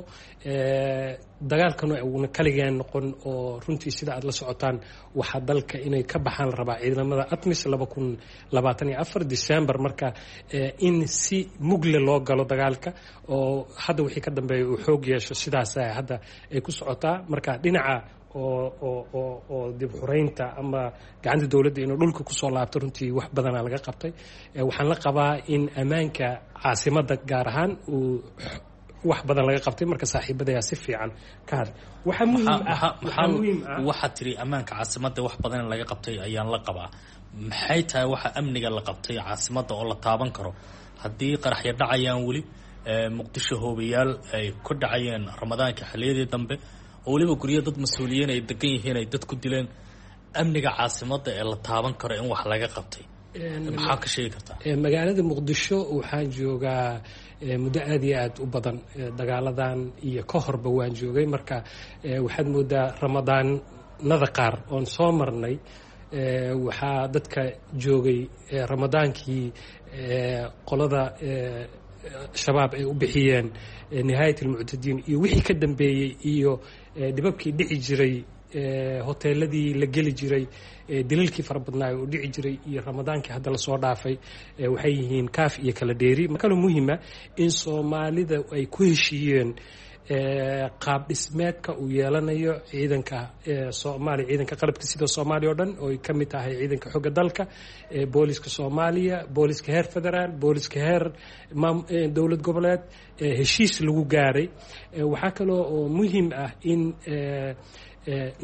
dagaalkana uuna kaligeen noqon, oo runtii sida aad la socotaan waxaa dalka inay ka baxaan la rabaa ciidamada ATMIS 2024 December. Marka in si mugle loo galo dagaalka oo hadda wixii ka dambeeya uu xoog yeesho, sidaas hadda ay ku socotaa. Marka dhinaca oo dib xureynta ama gacanta dowladda inuu dhulka kusoo laabto, runtii wax badanaa laga qabtay. Waxaan la qabaa in ammaanka caasimadda gaar ahaan uu wax badan laga qabtay. Marka saaxiibadayaa si fiican ka hadlay. Waxaa muhiim ah, waxaad tiri ammaanka caasimadda wax badan in laga qabtay ayaan la qabaa. Maxay tahay waxa amniga la qabtay caasimadda oo la taaban karo haddii qaraxyo dhacayaan weli Muqdisho, hoobayaal ay ku dhacayeen Ramadaanka xilliyadii dambe, oo weliba guryo dad mas-uuliyiin ay degan yihiin ay dad ku dileen? Amniga caasimadda ee la taaban karo in wax laga qabtay maxaa ka sheegi kartaa? Magaalada Muqdisho waxaan joogaa muddo aada iyo aada u badan, dagaaladan iyo ka horba waan joogay. Marka waxaad moodaa ramadaanada qaar oon soo marnay, waxaa dadka joogay ramadaankii qolada Shabaab ay u bixiyeen nihaayat almuctadiin iyo wixii ka dambeeyey iyo dhibabkii dhici jiray, hoteeladii la geli jiray, daliilkii fara badnaa oo dhici jiray, iyo ramadaankii hadda lasoo dhaafay waxay yihiin kaaf iyo kala dheeri. Kaloo muhiima in Soomaalida ay ku heshiiyeen qaab dhismeedka uu yeelanayo ciidanka Soomaaliya, ciidanka qalabka sida Soomaaliya oo dhan, oo ay ka mid tahay ciidanka xogga dalka, booliska Soomaaliya, booliska heer federaal, booliska heer dowlad goboleed, heshiis lagu gaaray. Waxaa kaloo oo muhiim ah in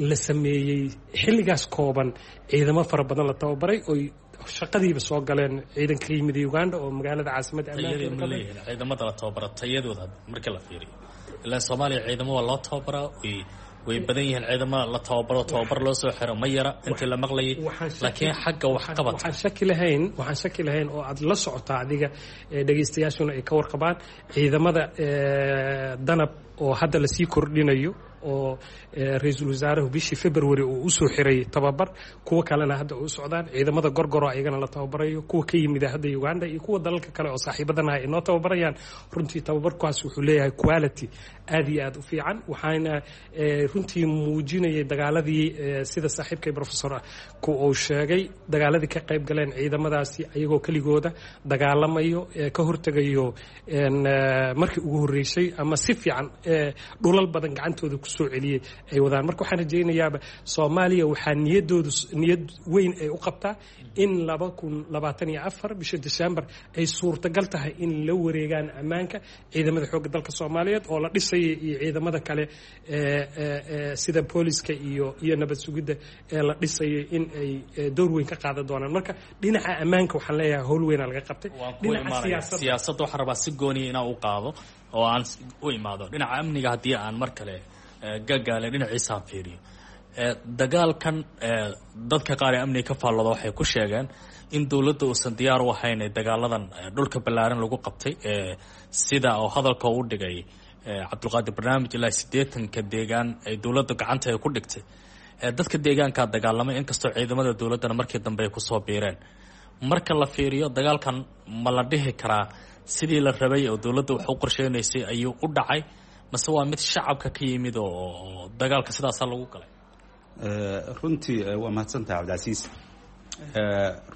la sameeyey xilligaas kooban ciidamo fara badan la tababaray oy shaqadiiba soo galeen, ciidanka ka yimid Uganda oo magaalada caasimadda. Tayadii ma leeyihiin ciidamada la tababara tayadooda marka la fiiriyo? Ilaa Soomaaliya ciidamo waa loo tababaraa, way badan yihiin ciidamo la tababaro, tababar loo soo xiro ma yara intii la maqlayay, laakiin xagga waxqabadka Waxaan shaki lahayn oo aad la socotaa adiga, dhegaystayaashuna ay ka warqabaan, ciidamada Danab oo hadda lasii kordhinayo, oo ra-iisul wasaaruhu bishii February uu usoo xiray tababar, kuwo kalena hadda u socdaan. Ciidamada Gorgoro ayagana la tababarayo, kuwa ka yimida hadda Uganda iyo kuwa dalalka kale oo saaxiibadanaha ay noo tababarayaan. Runtii tababarkaas wuxuu leeyahay quality aad iyo aad u fiican, waxaana runtii muujinayay dagaaladii, sida saaxiibkay professor ku uu sheegay, dagaaladii ka qayb galeen ciidamadaasi ayagoo keligooda dagaalamayo, ka hortegayo markii ugu horreysay ama si fiican dhulal badan gacantooda kusoo celiyey ay wadaan. Marka waxaan rajaynayaaba Soomaaliya waxaa niyadoodu niyad weyn ay u qabtaa in 2024 bisha December ay suurtagal tahay in la wareegaan ammaanka ciidamada xoogga dalka Soomaaliyeed oo la dhisaya iyo ciidamada kale sida booliska iyo nabad sugidda ee la dhisayay in ay door weyn ka qaadan doonaan. Marka dhinaca ammaanka waxaan leeyahay howl weynaa laga qabtay. Dhinaca siyaasadda waxaan rabaa si gooniya inaan u qaado oo aan u imaado dhinaca amniga. Haddii aan mar kale gagaale dhinaciisaan fiiriyo dagaalkan, dadka qaar ee amniga ka faallooda waxay ku sheegeen in dowladda uusan diyaar u ahayn dagaaladan dhulka ballaaran lagu qabtay, sida oo hadalka u dhigay Cabdulqaadir Barnaamij, ilaa 80-ka deegaan ay dowladda gacanta ay ku dhigtay dadka deegaankaa dagaalamay, inkastoo ciidamada dowladdana markii dambe ay kusoo biireen. Marka la fiiriyo dagaalkan, ma la dhihi karaa sidii la rabay oo dowladda wax u qorsheynaysay ayuu u dhacay, mase waa mid shacabka ka yimid oo dagaalka sidaasaa lagu galay? Runtii waa mahadsantahay, Cabdicasiis.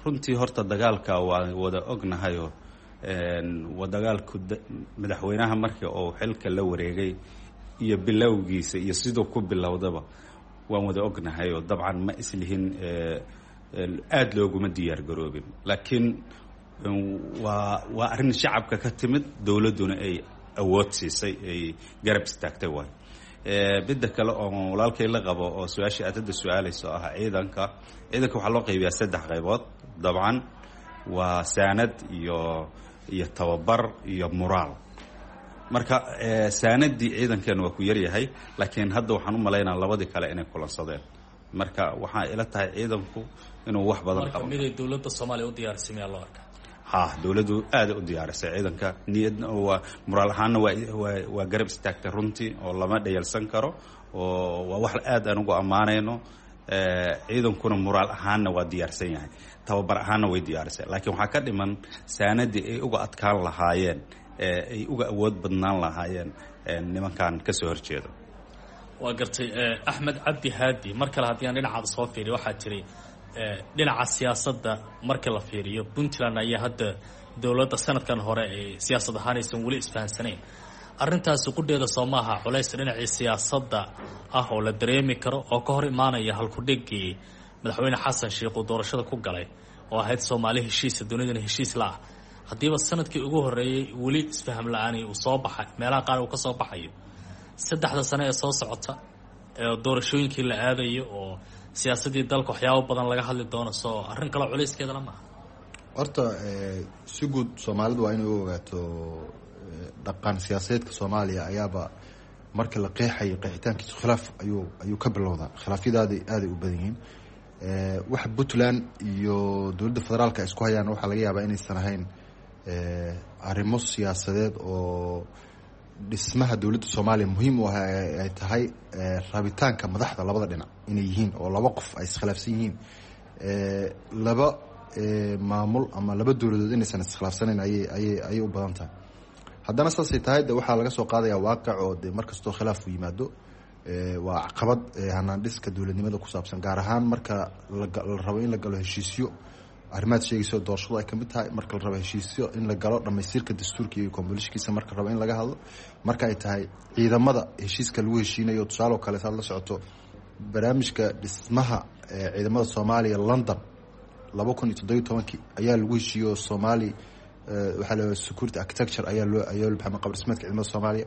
Runtii horta dagaalka waa wada ognahayo, waa dagaalku madaxweynaha markii uu xilka la wareegay iyo bilowgiisa iyo siduu ku bilowdaba waan wada ognahay, oo dabcan ma islihin aada looguma diyaar garoobin, laakiin waa arrin shacabka ka timid, dowladduna ay awood siisay, ay garab istaagtay. Waay midda kale oo walaalkay la qabo oo su-aashii aad hadda su-aalayso ah, ciidanka waxaa loo qaybiyaa saddex qaybood. Dabcan waa saanad iyo tababar iyo muraal. Marka saanadii ciidankeena waa ku yaryahay, laakiin hadda waxaan u malaynaa labadii kale inay kulansadeen. Marka waxaa ila tahay ciidanku inuu wax badan qabo. Miday dowladda Soomaaliya u diyaarisay miyaa loo arkaa? Ha, dowladdu aada u diyaarisay ciidanka, niyadna waa muraal ahaanna waa garab istaagtay runtii, oo lama dhayalsan karo, oo waa wax aad aan ugu ammaanayno. Ciidankuna muraal ahaanna waa diyaarsan yahay, tababar ahaanna way diyaarisay, laakiin waxaa ka dhiman saanadii ay uga adkaan lahaayeen, ay uga awood badnaan lahaayeen nimankan kasoo horjeeda. Waa gartay. Axmed Cabdi Haadi, mar kale haddii aan dhinacaada soo fiiriyo, waxaa jiray dhinaca siyaasadda marka la fiiriyo Puntland ayaa hadda dowladda sanadkan hore ay siyaasad ahaan aysan weli isfahansanayn. Arrintaasi qudheeda soo maaha culays dhinacii siyaasadda ah oo la dareemi karo oo ka hor imaanaya halkudhigii madaxweyne Xasan Sheikh uu doorashada ku galay oo ahayd Soomaali heshiisa, dunidana heshiis la ah, haddiiba sanadkii ugu horreeyey weli isfaham la-aani uu soo baxay, meelaha qaar uu ka soo baxayo, 3-da sano ee soo socota ee doorashooyinkii la aadayo oo siyaasaddii dalka waxyaabo badan laga hadli doono, soo arrin kaloo culayskeedala maaha? Horta si guud Soomaalidu waa inay u ogaato dhaqan siyaasadeedka Soomaaliya ayaaba marka la qeexayo qeexitaankiisu khilaaf ayuu ka bilowdaa. Khilaafyadaadi aaday u badan yihiin. Waxa Puntland iyo dowladda federaalka ay isku hayaan waxaa laga yaabaa inaysan ahayn arrimo siyaasadeed oo dhismaha dowladda Soomaaliya muhiim u ah, ay tahay rabitaanka madaxda labada dhinac inay yihiin, oo laba qof ay iskhilaafsan yihiin, laba maamul ama laba dowladood inaysan iskhilaafsanayn ayay u badan tahay. Haddana saasay tahay, de waxaa laga soo qaadaya waaqic oo de mar kastoo khilaaf u yimaado waa caqabad hanaan dhiska dowladnimada ku saabsan, gaar ahaan marka la rabo in la galo heshiisyo arrimaad sheegayso doorashadu ay kamid tahay, marka la rabo heshiisyo in la galo dhamaystirka dastuurka iyo kombolishkiisa, marka la rabo in laga hadlo, marka ay tahay ciidamada heshiiska lagu heshiinayo. Tusaale oo kale, saad la socoto barnaamijka dhismaha ciidamada Soomaaliya London 2017-kii ayaa lagu heshiiyo Soomaali waxaa la security architecture ayaa loo baxay qaab dhismeedka ciidamada Soomaaliya,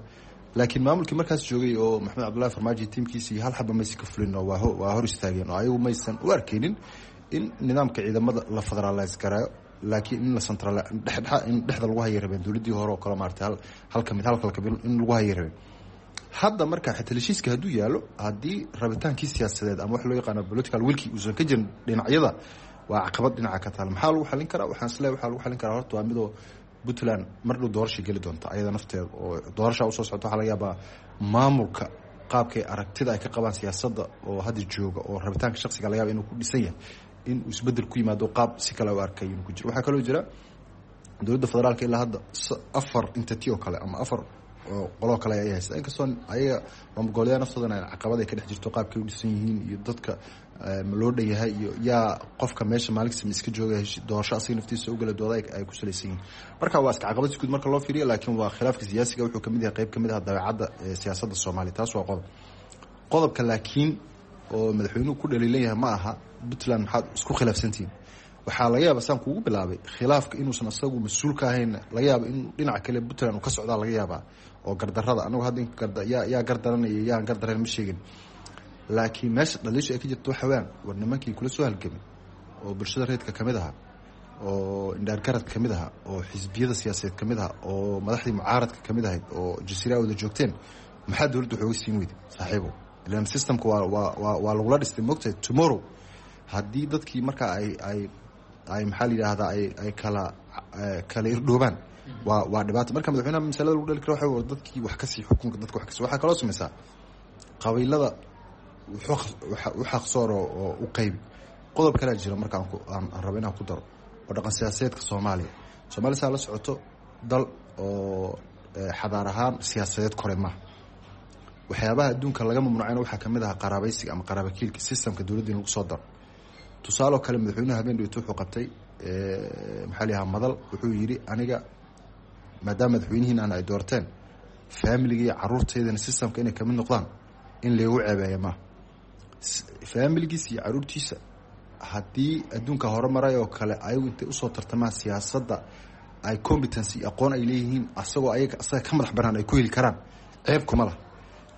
laakiin maamulkii markaas joogay oo Maxamed Cabdullahi Farmaajo tiimkiisii hal xaba maysan ka fulin oo waa hor istaageen, oo ayagu maysan u arkeynin in nidaamka ciidamada la federalize garaayo, laakiin in la central dhexdhexa in dhexda lagu hayay rabeen, dowladdii hore oo kale maartay hal kamid hal kale kamid in lagu hayay rabeen. Hadda marka xitaa heshiiska hadduu yaalo, haddii rabitaankii siyaasadeed ama wax loo yaqaano political willkii uusan ka jirin dhinacyada, waa caqabad dhinaca ka taal. Maxaa lagu xalin karaa? Waxaan isleeyahay waxaa lagu xalin karaa horta waa midoo Puntland mar dhow doorashay geli doonta ayada nafteeda oo doorashaa usoo socota. Waxaa laga yaabaa maamulka qaabkay aragtida ay ka qabaan siyaasadda oo hadda jooga oo rabitaanka shaksiga laga yaaba inuu ku dhisan yahay inuu isbedel ku yimaado, qaab si kale u arkay inuu ku jiro. Waxaa kaloo jira dowladda federaalka ilaa hadda 4 entity oo kale ama 4 qoloo kale ay haysta, inkastoo ayaga maamul goboleedyada naftoodana caqabad ay ka dhex jirto qaabkay u dhisan yihiin iyo dadka ma loo dhan yahay iyo yaa qofka meesha maalinkasta ma iska jooga doorasho asaga naftiisa ugala dooda ay ku salaysan yihiin. Marka waa iska caqabad si guud marka loo fiiriyo, laakiin waa khilaafka siyaasiga wuxuu kamid yahay qayb kamid ah dabeecadda siyaasadda Soomaaliya. Taas waa qodob. Qodobka laakiin oo madaxweynuhu ku dhaliilan yahay ma aha Puntland maxaad isku khilaafsantihiin. Waxaa laga yaaba saan kuugu bilaabay khilaafka inuusan asagu mas-uul ka ahayn, laga yaaba inuu dhinaca kale Puntland uu ka socdaa laga yaabaa oo gardarada anagu hadda yaa gardaranaya yaan gardarayn ma sheegin, laakiin meesha dhaliisha ay ka jirto waxa weyaan war nimankii kula soo halgamay oo bulshada reedka kamid ahaa oo indhaargaradka kamid ahaa oo xisbiyada siyaasadeed kamid ahaa oo madaxdii mucaaradka kamid ahayd oo jasiira wada joogteen, maxaa dowladda waxooga siin weyday saaxiibo? Ilan systemka waa lagula dhistay, mogtahay. Tomorrow haddii dadkii markaa ay maxaa la yidhaahdaa ay kala irdhoobaan waa dhibaato. Marka madaxweynaha masalada lagu dhali karo waxa war dadkii wax kasii xukunka dadka wax kasii. Waxaa kaloo samaysaa qabiilada u xaqsoor oo u qaybi. Qodob kalaa jira marka aan rabo inaan ku daro oo dhaqan siyaasadeedka Soomaaliya. Soomaaliya saa la socoto dal oo xadaar ahaan siyaasadeed kore maaha. Waxyaabaha adduunka laga mamnuucayna waxaa kamid ahaa qaraabaysiga ama qaraabakiilka systemka dowladda in lagu soo daro. Tusaaloo kale, madaxweynuhu habeen dhowto wuxuu qabtay maxaa la yidhaha madal. Wuxuu yidhi aniga maadaama madaxweynihiin ay doorteen, faamiliga iyo caruurteydana systemka inay kamid noqdaan in laygu ceebeeya maaha. Faamiligiisa iyo caruurtiisa haddii adduunka hore maray oo kale ayagu intay usoo tartamaan siyaasadda ay competency iyo aqoon ay leeyihiin asagoo ayaga asaga ka madax banaan ay ku heli karaan, ceeb kuma lah.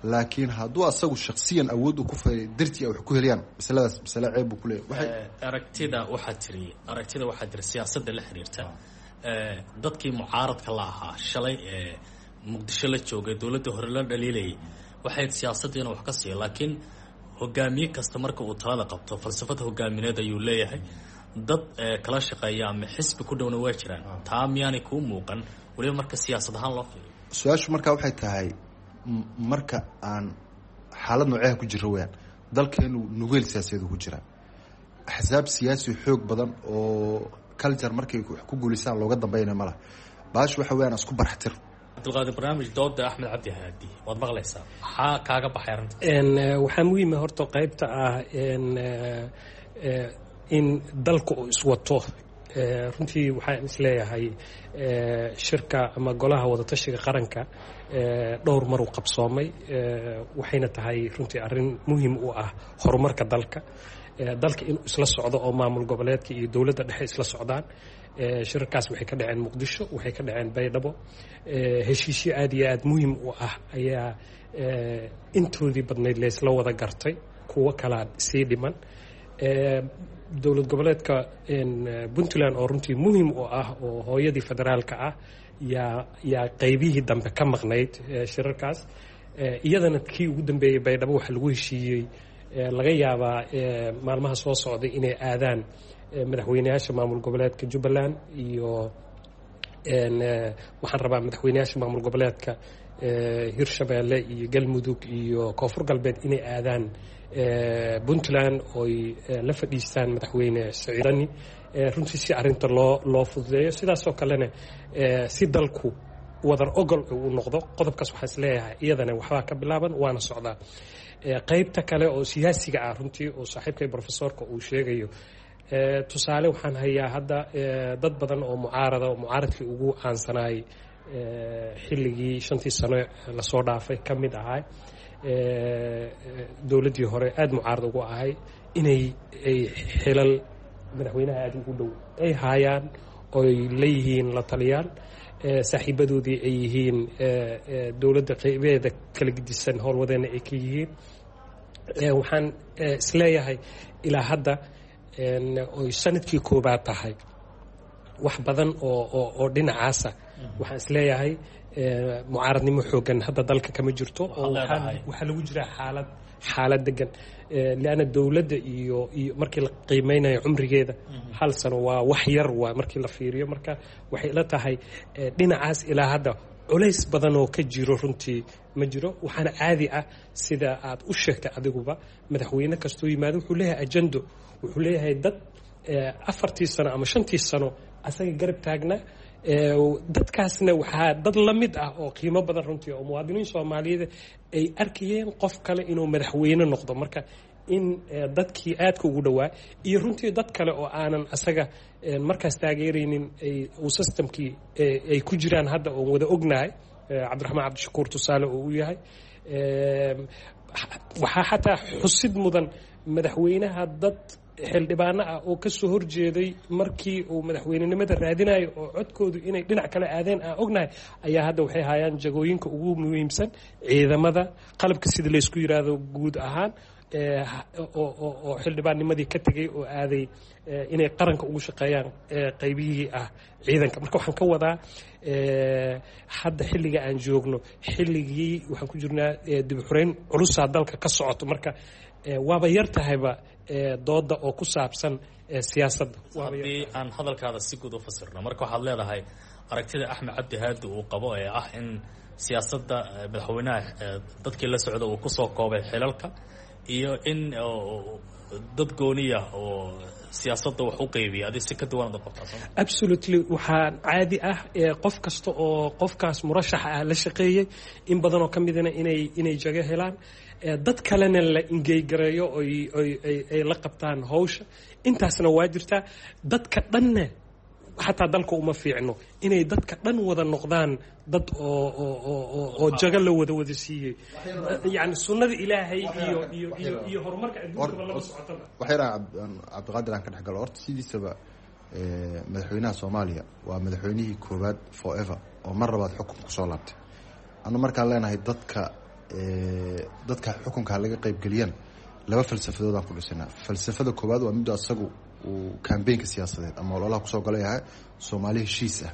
Laakiin hadduu asagu shaksiyan awood uu ku fay dartii ay wax ku heliyaan, masaladaas masale ceeb buu ku leeyahay. Aragtida waxaa tiri siyaasadda la xiriirta dadkii mucaaradka la ahaa shalay ee Muqdisho la joogay dowladda hore la dhaliilayay waxay siyaasadda inuu wax ka siiyo, laakiin hogaamiye kasta marka uu talada qabto falsafad hogaamineed ayuu leeyahay, dad kala shaqeeya ama xisbi ku dhowna waa jiraan. Taa miyaanay kuu muuqan weliba marka siyaasad ahaan loo fiiriyo? Su-aashu markaa waxay tahay marka aan xaalad nooceha ku jiro weyaan dalkeenu nugeel siyaasadeed ku jiraa, axsaab siyaasi xoog badan oo culture markay wax ku guulaystaan looga dambeynaya ma laha. Baash waxa weyaan isku barxtir. Cabdulqaadir, barnaamij dooda Axmed Cabdi Haadi waad maqlaysaa, maxaa kaaga baxay arrinta? Waxaa muhiima horta qaybta ah in dalka uu iswato. Runtii waxaan isleeyahay shirka ama golaha wadatashiga qaranka dhowr mar uu qabsoomay, waxayna tahay runtii arrin muhiim u ah horumarka dalka, dalka inuu isla socdo oo maamul goboleedka iyo dowladda dhexe isla socdaan. Shirarkaas waxay ka dhaceen Muqdisho, waxay ka dhaceen Baydhabo. Heshiisyo aad iyo aad muhiim u ah ayaa intoodii badnayd laysla wada gartay, kuwo kalaa sii dhiman. Dowlad goboleedka Puntland oo runtii muhiim u ah oo hooyadii federaalka ah yaa qaybihii dambe ka maqnayd shirarkaas. Iyadana kii ugu dambeeyey Baydhabo waxaa lagu heshiiyey laga yaabaa maalmaha soo socday inay aadaan madaxweyneyaasha maamul goboleedka Jubbaland iyo waxaan rabaa madaxweyneyaasha maamul goboleedka Hirshabeelle iyo Galmudug iyo Koonfur Galbeed inay aadaan Puntland oy la fadhiistaan madaxweyne Saciid Dani, runtii si arrinta loo fududeeyo, sidaasoo kalena si dalku wadar ogol uu noqdo. Qodobkaas waxaa isleeyahay iyadana waxbaa ka bilaaban waana socdaa. Qaybta kale oo siyaasiga ah runtii oo saaxiibkay professorka uu sheegayo, tusaale waxaan hayaa hadda dad badan oo mucaarada oo mucaaradkii ugu caansanaayay xilligii 5-tii sano lasoo dhaafay ka mid ahaa dowladdii hore aada mucaarad ugu ahay inay ay xilal madaxweynaha aada ugu dhow ay haayaan oy leeyihiin la taliyaal, saaxiibadoodii ay yihiin, dowladda qaybeeda kala gedisan howlwadeenna ay ka yihiin. Waxaan isleeyahay ilaa hadda oy sanadkii koobaad tahay Wax badan oo dhinacaasa waxaan isleeyahay mucaaradnimo xoogan hadda dalka kama jirto, oo waxaa lagu jiraa xaalad degan, lianna dowladda iyo markii la qiimeynayo cumrigeeda 1 sano waa wax yar, waa markii la fiiriyo. Marka waxay ila tahay dhinacaas ilaa hadda culays badan oo ka jiro runtii ma jiro. Waxaana caadi ah, sida aad u sheegtay adiguba, madaxweyne kastuu yimaado wuxuu leeyahay ajando, wuxuu leeyahay dad 4tii sano ama 5tii sano asaga garab taagnaa. Dadkaasna waxaa dad la mid ah oo qiimo badan runtii oo muwaadiniin Soomaaliyeed ay arkayeen qof kale inuu madaxweyne noqdo. Marka in dadkii aadka ugu dhowaa iyo runtii dad kale oo aanan asaga markaas taageeraynin uu systemkii ay ku jiraan hadda oon wada ognahay, Cabdiraxmaan Cabdishakuur tusaale oo u yahay. Waxaa xataa xusid mudan madaxweynaha dad xildhibaano ah oo kasoo horjeeday markii uu madaxweynenimada raadinayo oo codkoodu inay dhinac kale aadeen aan ognahay ayaa hadda waxay hayaan jagooyinka ugu muhiimsan ciidamada qalabka sida laysku yiraahdo guud ahaan, oo xildhibaannimadii ka tegay oo aaday inay qaranka ugu shaqeeyaan qaybihii ah ciidanka. Marka waxaan ka wadaa, hadda xilliga aan joogno, xilligii waxaan ku jirnaa dib u xureyn culusaa dalka ka socoto. Marka waaba yar tahayba dooda oo ku saabsan siyaasadda. Haddii aan hadalkaada si guud u fasirno, marka waxaad leedahay aragtida Axmed Cabdi Haadi uu qabo ee ah in siyaasadda madaxweynaha dadkii la socda uu kusoo koobay xilalka iyo in dad gooniya oo siyaasadda wax u qeybiya, adi si ka duwan ad qabtaa soo? Absolutely. Waxaa caadi ah qof kasta oo qofkaas murashaxa ah la shaqeeyey in badanoo ka midana inay jago helaan, dad kalena la ingeygareeyo oy ay la qabtaan hawsha. Intaasna waa jirtaa. Dadka dhanna xataa dalka uma fiicno inay dadka dhan wada noqdaan dad oo jago la wada siiyey. Yani sunnada Ilaahay iyo horumarka adduunkaba lama socotaba. Waxyar Cabdiqaadir aan ka dhex galo. Horta sidiisaba madaxweynaha Soomaaliya waa madaxweynihii koowaad forever oo mar labaad xukun kusoo laabtay. Anu markaan leenahay dadka xukunka laga qaybgeliyana, laba falsafadood aan ku dhisanaa. Falsafada koowaad waa midda asagu uu kambeynka siyaasadeed ama ololaha kusoo gala yahay, Soomaali heshiis ah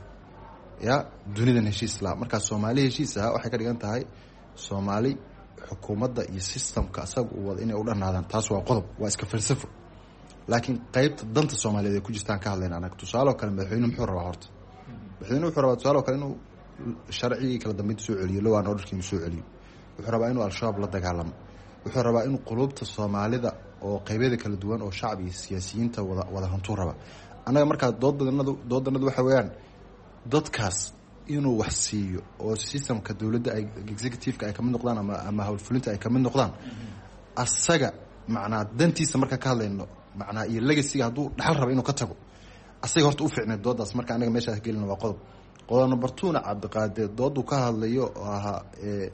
ya dunidan heshiis laa. Markaa Soomaali heshiis ah waxay ka dhigan tahay Soomaali xukuumadda iyo systemka asaga uu wada inay u dhanaadaan. Taas waa qodob, waa iska falsafo. Laakiin qeybta danta Soomaaliyeed ay ku jirtaan ka hadlayna anaga. Tusaale oo kale, madaxweynuhu muxuu rabaa? Horta madaxweynuhu wuxuu rabaa, tusaale oo kale, inuu sharcigii kala dambeynta soo celiyo, law and orderkii inuu soo celiyo. Wuxuu rabaa inuu Al-Shabaab la dagaalamo. Wuxuu rabaa inuu qulubta Soomaalida oo qeybyada kala duwan oo shacab iyo siyaasiyiinta wada hantuu raba. Annaga markaa doodanadu waxa weeyaan dadkaas inuu wax siiyo oo systemka dowladda ay executive-ka ay kamid noqdaan ama howlfulinta ay kamid noqdaan. Asaga macnaa dantiisa markaa ka hadlayno, macnaa iyo legacyga hadduu dhaxal raba inuu ka tago, asaga horta u fiicneed doodaas. Marka anaga meeshaas gelina waa qodob. Qodob number two-na, Cabdiqaadir dooduu ka hadlayo oo ahaa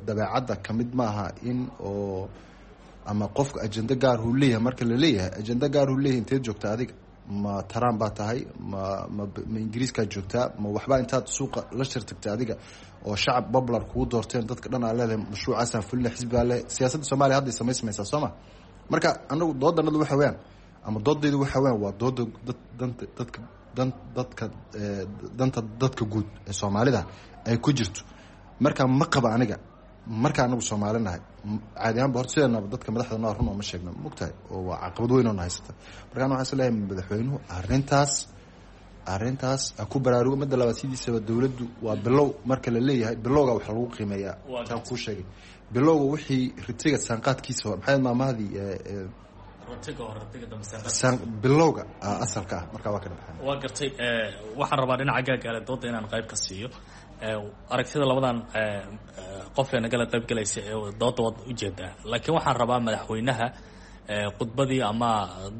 dabeecadda kamid maaha in oo ama qofka ajendo gaar huu leeyahay. Marka la leeyahay ajendo gaar huu leeyahay, inteed joogta adiga? Ma Trump baa tahay? Ma Ingiriiskaa joogtaa? Ma waxbaa intaad suuqa la shir tagtay adiga oo shacab popular kugu doorteen, dadka dhan aa leedahay mashruucaasaan fulina, xisbigaa le? Siyaasadda Soomaaliya hadday samaysmaysaa soo ma? Marka anagu doodanadu waxa weeyaan ama doodaydu waxa weeyaan waa dooda dad danta dadka dan dadka danta dadka guud ee Soomaalida ay ku jirto. Marka ma qaba aniga. Marka anagu Soomaali nahay, caadi ahaanba horta sideenaba dadka madaxda noo run oo ma sheegno, mogtahay, oo waa caqabad weyn oo na haysata. Marka ana waxaan is leeyahay madaxweynuhu arrintaas ha ku baraarugo. Midda labaad, sidiisaba dowladdu waa bilow. Marka la leeyahay bilowga waxa lagu qiimeeyaa taan kuu sheegay, bilowga wixii ritiga saanqaadkiisa hore, maxay maamahdii, bilowga asalka ah. Marka waa ka dhabaxan. Waa gartay. Waxaan rabaa dhinaca gaagaale dooda inaan qayb ka siiyo. Aragtida labadan qof ee nagala qayb galaysa ee dooda waad ujeedaa, laakiin waxaan rabaa madaxweynaha khudbadii ama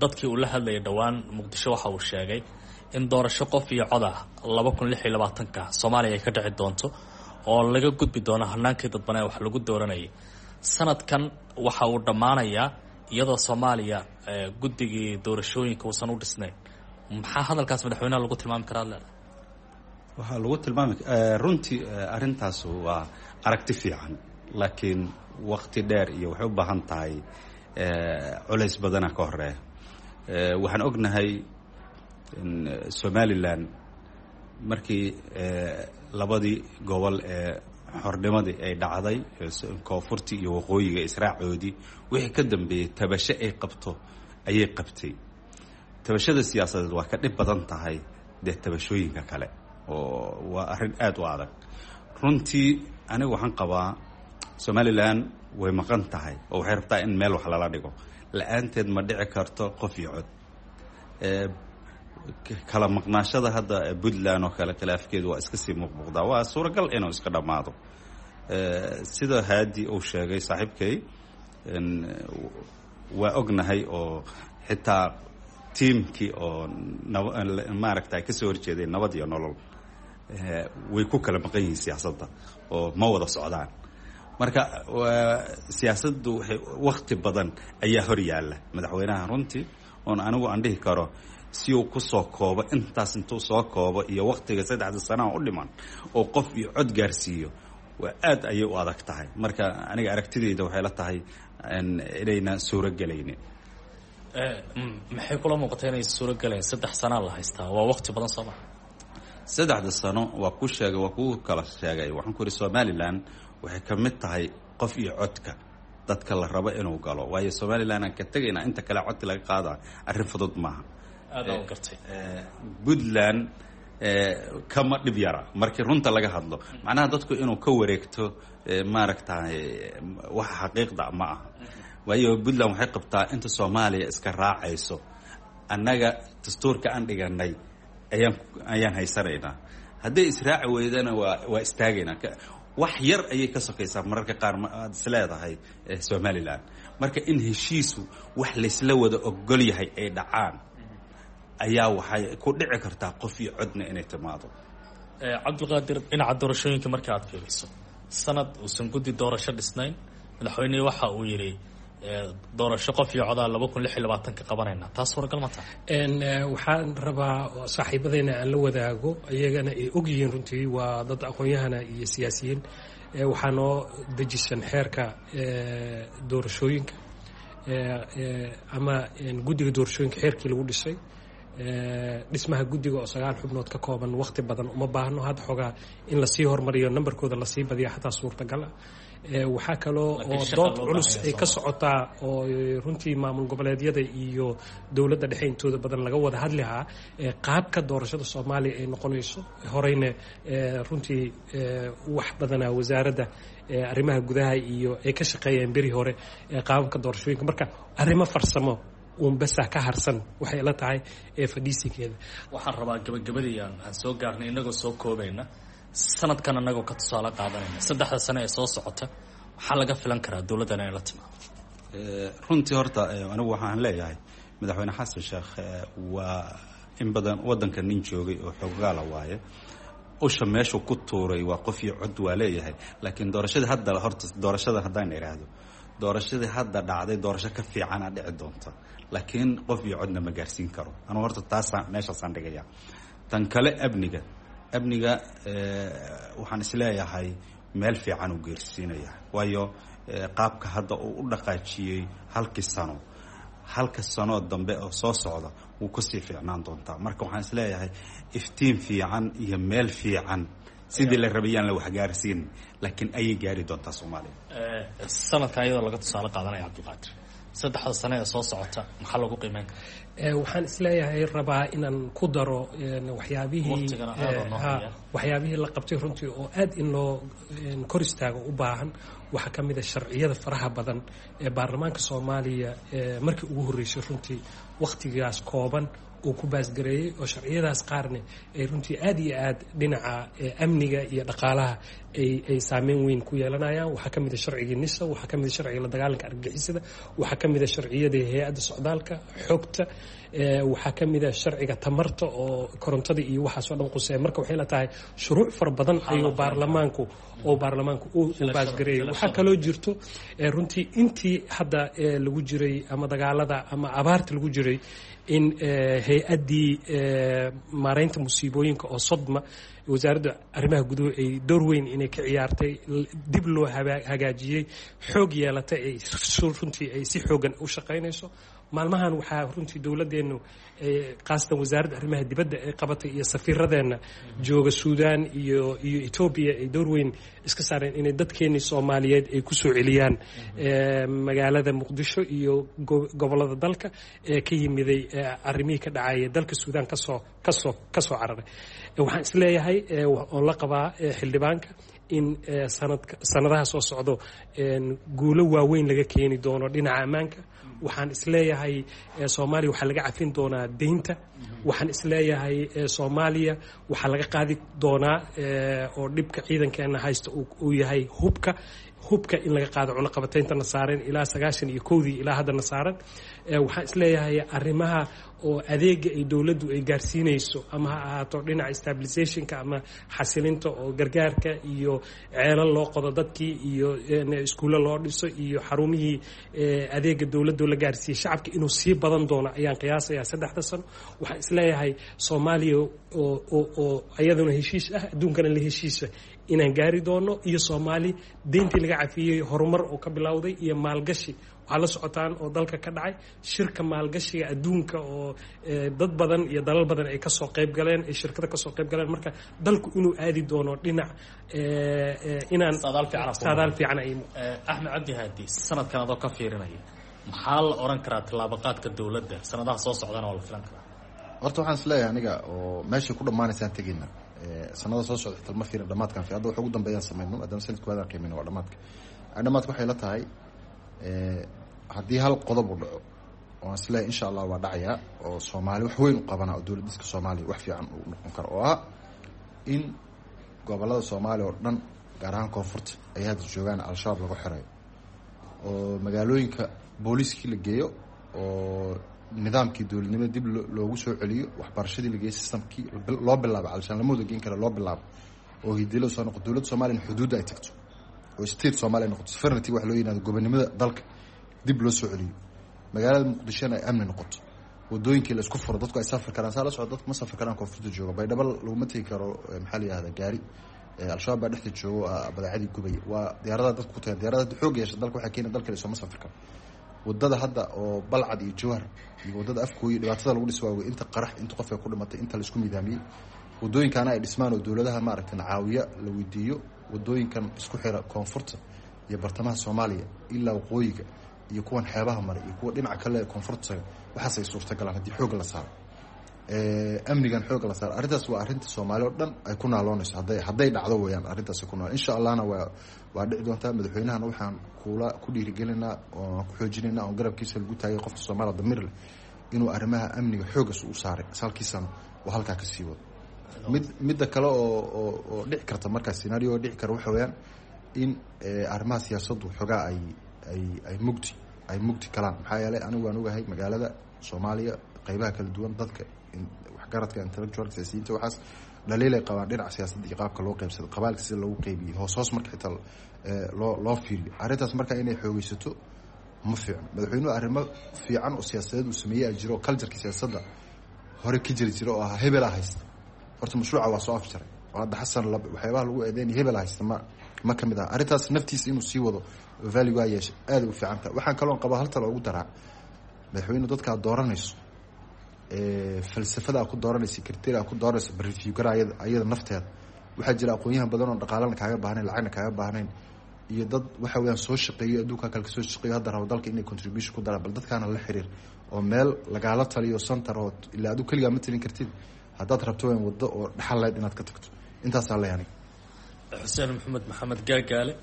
dadkii uu la hadlayay dhowaan Muqdisho waxa uu sheegay in doorasho qof iyo cod ah 2026-ka Soomaaliya ay ka dhici doonto oo laga gudbi doono hanaankii dadbanee wax lagu dooranayay. Sanadkan waxa uu dhammaanayaa iyadoo Soomaaliya guddigii doorashooyinka uusan u dhisnayn. Maxaa hadalkaas madaxweynaha lagu tilmaami karaa ad leedahay? Waxaa lagu tilmaami runtii arrintaas waa aragti fiican, laakiin wakti dheer iyo waxay u baahan tahay culays badana ka horeeya. Waxaan ognahay in Somalilan Markii labadii gobol ee xornimadii ay dhacday, koonfurtii iyo waqooyiga israacoodii, wixii ka dambeeyey tabasho ay qabto ayay qabtay. Tabashada siyaasadeed waa ka dhib badan tahay dee tabashooyinka kale, oo waa arrin aada u adag runtii. Anigu waxaan qabaa Somalilan way maqan tahay oo waxay rabtaa in meel wax lala dhigo. La-aanteed ma dhici karto qof iyo cod. Kala maqnaashada hadda Puntland oo kale, khilaafkeedu waa iska sii muuqmuuqdaa, waa suuragal inuu iska dhammaado. Sida Haadi uu sheegay saaxiibkay, waa ognahay oo xitaa tiimkii oo maaragta ay kasoo horjeedeen Nabad iyo Nolol way ku kala maqan yihiin siyaasadda oo ma wada socdaan. Marka siyaasaddu waxay wakti badan ayaa hor yaalla madaxweynaha runtii, oon anigu aan dhihi karo si uu kusoo koobo intaas, intuu soo koobo iyo waktiga 3da sanaha u dhiman oo qof iyo cod gaarsiiyo, waa aad ayay u adag tahay. Marka aniga aragtidayda waxay la tahay inayna suuro gelaynin. Maxay kula muuqata inay suuro gelayn? 3 sanaa la haystaa, waa wakti badan, soo maa? 3da sano waa ku sheegay, waa kuu kala sheegay. Waxaan ku ihi Somalilan waxay ka mid tahay qof iyo codka dadka la rabo inuu galo, waayo Somalilan aan ka tegayna inta kale codka laga qaada arrin fudud maaha. Aada u gartay. Puntland kama dhib yara markii runta laga hadlo. Macnaha dadku inuu ka wareegto maaragtay waxa xaqiiqda ma aha, waayo Puntland waxay qabtaa inta Soomaaliya iska raacayso, annaga dastuurka aan dhiganay ayaan haysanaynaa, hadday israaci weydana waa istaagaynaa. Wax yar ayay ka sokaysaa mararka qaar aad is leedahay Somalilan. Marka in heshiisu wax laysla wada ogol yahay ay dhacaan ayaa waxay ku dhici kartaa qof iyo codna inay timaado. Cabdiqaadir, dhinaca doorashooyinka marka aad fiiriso, sanad uusan guddi doorasho dhisnayn, madaxweynihii waxa uu yidhi doorasho qof iyo codaa 2026ka qabanayna, taas suuragal ma tahay? Waxaan rabaa saaxiibadeyna aan la wadaago, iyagana ay og yihiin runtii, waa dad aqoon-yahana iyo siyaasiyiin. Waxaa noo dejisan xeerka doorashooyinka ama guddiga doorashooyinka, xeerkii lagu dhisay dhismaha guddiga oo 9 xubnood ka kooban. Waqti badan uma baahno hadda, xoogaa in lasii hormariyo, nambarkooda lasii badiya xataa suurtagal ah. Waxaa kaloo oo dood culus ay ka socotaa oo runtii maamul goboleedyada iyo dowladda dhexe intooda badan laga wada hadlihaa qaabka doorashada Soomaaliya ay noqonayso. Horeyna runtii wax badanaa wasaaradda arrimaha gudaha iyo ay ka shaqeeyeen beri hore qaababka doorashooyinka. Marka arrimo farsamo uun basa ka harsan waxay la tahay ee fadhiisinkeeda. Waxaan rabaa gabagabadii aan soo gaarnay, inagoo soo koobayna, sanadkan anagoo ka tusaale qaadanayna, 3da sano ee soo socota maxaa laga filan karaa dowladdan inay la timaado? Runtii horta anigu waxaan leeyahay madaxweyne Xasan Sheekh waa in badan waddanka nin joogay oo xoogaala waaye. Usha meeshuu ku tuuray waa qof iyo cod waa leeyahay, laakiin doorashadii hadda, horta doorashada haddaan idhaahdo, doorashadii hadda dhacday doorasho ka fiicana dhici doonta, laakiin qof iyo codna ma gaarsiin karo. Anugu horta taasaan meeshaasaan dhigaya. Tan kale amniga waxaan isleeyahay meel fiican uu geersiinaya, waayo qaabka hadda uu u dhaqaajiyey halkii sano, halka sanoo dambe oo soo socda wuu kasii fiicnaan doontaa. Marka waxaan isleeyahay iftiin fiican iyo meel fiican sidii la rabayaan la waxgaarsiin, laakiin ayay gaari doontaa Soomaaliya. Sanadkan iyadoo laga tusaale qaadanaya, Cabdiqaadir, 3da sano ee soo socota maxaa lagu qiimeyn karaa? Waxaan isleeyahay rabaa inaan ku daro waxyaabihii waxyaabihii la qabtay runtii oo aad in loo kor istaago u baahan. Waxaa ka mid a sharciyada faraha badan ee baarlamaanka Soomaaliya markii ugu horreysay runtii wakhtigaas kooban uu ku baasgareeyey, oo sharciyadaas qaarne ay runtii aad iyo aad dhinaca amniga iyo dhaqaalaha ay saameyn weyn ku yeelanayaan. Waxaa ka mid a sharcigii NISA, waxaa ka mid a sharciga la dagaalanka argagixisada, waxaa ka mid a sharciyada hay-adda socdaalka xogta, waxaa ka mid a sharciga tamarta oo korontada iyo waxaasoo dhan quseeya. Marka waxay la tahay shuruuc fara badan ayuu baarlamaanku oo baarlamaanku uu baasgareeyey. Waxaa kaloo jirto runtii intii hadda lagu jiray ama dagaalada ama abaarta lagu jiray in hay-addii maareynta musiibooyinka oo SODMA Wasaaradda arrimaha guduhu ay door weyn inay ka ciyaartay, dib loo hagaajiyey, xoog yeelatay, ay runtii ay si xoogan u shaqaynayso maalmahan. Waxaa runtii dowladeennu, khaasatan wasaaradda arrimaha dibadda, ay qabatay iyo safiiradeenna jooga Suudaan iyo Etoobiya ay door weyn iska saareen inay dadkeennii Soomaaliyeed ay ku soo celiyaan magaalada Muqdisho iyo gobollada dalka ee ka yimiday arrimihii ka dhacaya dalka Suudaan kasoo cararay. Waxaan isleeyahay oon la qabaa xildhibaanka in sanadaha soo socdo guulo waaweyn laga keeni doono dhinaca ammaanka. Waxaan isleeyahay Soomaaliya waxaa laga cafin doonaa deynta. Waxaan isleeyahay Soomaaliya waxaa laga qaadi doonaa, oo dhibka ciidankeena haysta uu yahay hubka, in laga qaado cunaqabatayntana saaran ilaa 91-dii ilaa haddana saaran. Waxaan isleeyahay arrimaha oo adeega ay dowladdu ay gaarsiinayso, ama ha ahaato dhinaca stabilizationka ama xasilinta oo gargaarka iyo ceelal loo qodo dadkii iyo iskuulo loo dhiso iyo xarumihii adeega dowladdu la gaarsiiyey shacabka, inuu sii badan doono ayaan qiyaasayaa 3-da sano. Waxaan isleeyahay Soomaaliya oo iyaduna heshiis ah, adduunkana la heshiisa inaan gaari doono, iyo Soomaali deyntii laga cafiyey, horumar oo ka bilowday iyo maalgashi. Waxaa la socotaan oo dalka ka dhacay shirka maalgashiga adduunka oo dad badan iyo dalal badan ay kasoo qayb galeen, ay shirkada kasoo qayb galeen. Marka dalku inuu aadi doono dhinac inaan saadaal fiican ay. Axmed Cabdi Haadi, sanadkan adoo ka fiirinaya, maxaa la oran karaa tallaabaqaadka dowladda sanadaha soo socdana waa la filan karaa? Horta waxaan isleeyahay aniga oo meeshay ku dhammaanaysaan tegeyna sanada soo socda xitaa ma fiirin dhamaadkan. Hadda wax ugu dambeeyaan samayno maadaama sanadka waadaan qiimayno waa dhamaadka. Dhamaadka waxay la tahay haddii hal qodob u dhaco oo aan isleeyahay insha Allah waa dhacayaa oo Soomaali wax weyn u qabana oo dowlad dhiska Soomaaliya wax fiican uu noqon karo, oo ah in gobollada Soomaaliya oo dhan, gaar ahaan koonfurta ay hadda joogaan Al-Shabaab lagu xirayo, oo magaalooyinka booliiskii la geeyo, oo nidaamkii dowladnimada dib loogu soo celiyo, waxbarashadii la geeyo, systemkii loo bilaabo calishaan lama wada geen kara loo bilaabo, oo hidilo soo noqo, dowladda Soomaaliya in xuduudda ay tagto oo state Soomaaliya noqoto, sovereignty wax loo yiraahdo, gobonimada dalka dib loo soo celiyo, magaalada Muqdishona ay amni noqoto, wadooyinkii la isku furo, dadku ay safri karaan. Saa la socdo, dadku ma safri karaan koonfurta jooga. Baydhabo laguma tegi karo, maxaa la yihahdaa, gaari. Al-Shabaab baa dhexda joogo, badeecadii gubaya. Waa diyaaradaha dadku ku tagaan. Diyaaradaha hadda xoog yeesha dalka waxaa keena dalka sooma safri karo. Wadada hadda oo Balcad iyo Jawhar iyo wadada Afkooyi dhibaatada lagu dhis waawey, inta qarax, inta qof ay ku dhimatay, inta la isku midaamiyey. Wadooyinkaana ay dhismaan oo dowladaha maaragtay caawiya la weydiiyo wadooyinkan isku xira koonfurta iyo bartamaha Soomaaliya ilaa waqooyiga iyo kuwan xeebaha maray iyo kuwa dhinaca kale ee koonfurta taga. Waxaas ay suurtagalaan haddii xoogga la saaro amnigan, xoogga la saaro. Arrintaas waa arrinta Soomaali oo dhan ay ku naaloonayso hadday dhacdo weeyaan. Arrintaas ku naal insha Allahna waa dhici doontaa. Madaxweynahana waxaan kula ku dhiirigelinaa oon ku xoojinaynaa oon garabkiisa lagu taagay qofka Soomaaliya damiir leh inuu arrimaha amniga xooggas u saaray salkiisana oo halkaa ka sii wado. Midda kale oo dhici karta markaa scenario oo dhici kara waxa weeyaan in arrimaha siyaasaddu xoogaa ay mugdi kalaan. Maxaa yeelay anigu waan ogahay magaalada Soomaaliya qeybaha kala duwan, dadka waxgaradka, intellectual, siyaasiyiinta, waxaas dhaliilay qabaan dhinaca siyaasadda iyo qaabka loo qeybsado, qabaalka sida loogu qeybiyey, hoos hoos marka xitaa loo fiiriyo arrintaas. Marka inay xoogeysato ma fiicno. Madaxweynuhu arrimo fiican oo siyaasadeed uu sameeyey a jiro oo cultureka siyaasadda hore ka jiri jira oo ahaa hebelaa haysta. Horta mashruuca waa soo afjaray oo hadda Xasan waxyaabaha lagu eedeynaya hebelaa haysta ma kamid aha. Arrintaas naftiisa inuu sii wado value waa yeesha, aada u fiican tahay. Waxaan kaloon qabaa hal talo ugu daraa madaxweyne: dadka aad dooranayso, falsafada aad ku dooranayso, criteria aad ku dooranayso, review gara ayada nafteeda. Waxaa jira aqoon-yahan badan oo dhaqaalana kaaga baahnayn, lacagna kaaga baahnayn, iyo dad waxa weeyaan soo shaqeeyo, adduunka kale kasoo shaqeeyo, hadda rabo dalka inay contribution ku daraan. Bal dadkaana la xiriir oo meel lagaala taliyo, center oo ilaa adigu keligaa ma talin kartid haddaad rabto weyn waddo oo dhaxal lahayd inaad ka tagto. Intaasaa leh aniga. Xuseen Maxamed Maxamed Gaagaale,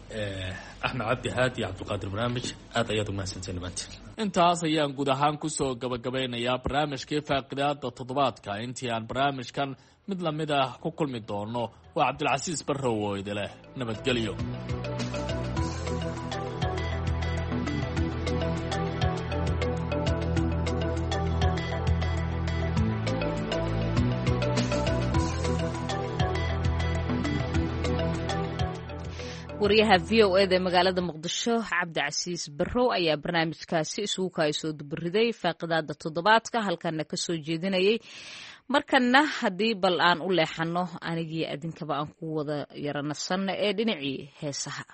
Axmed Cabdi Haadi, Cabdulqaadir Barnaamij, aad ayaad umahadsanteen dhammaantiin. Intaas ayaan guud ahaan kusoo gabagabeynayaa barnaamijkii faaqidaada toddobaadka. Intii aan barnaamijkan mid lamid ah ku kulmi doono, waa Cabdilcasiis Barrow oo idileh nabadgelyo. Wariyaha VOA da ee magaalada Muqdisho, Cabdicasiis Barrow, ayaa barnaamijkaasi isugu kaay soo dubariday faaqidaada toddobaadka, halkana ka soo jeedinayay. Markana haddii bal aan u leexanno, anigii adinkaba aan ku wada yara nasanno ee dhinacii heesaha.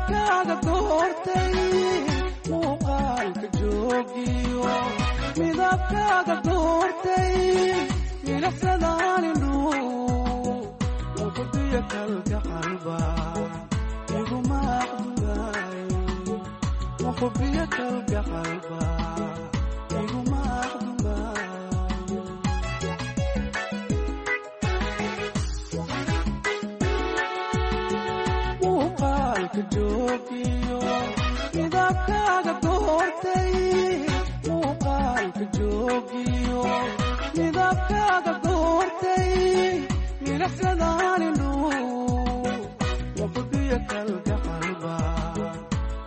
Midabkaaga doortay, muuqaalka joogiyo, midabkaaga doortay, milicsadaan indhuhu muqdiyo kalgacalba iguma aqdugaay, muqdiyo kalgacalba iguma aqdugaay. Muuqaalka joogiyo, midabkaaga doortay, muuqaalka joogiyo, midabkaaga doortay, milicsadaan indhuhu muqdiyo kalgacalba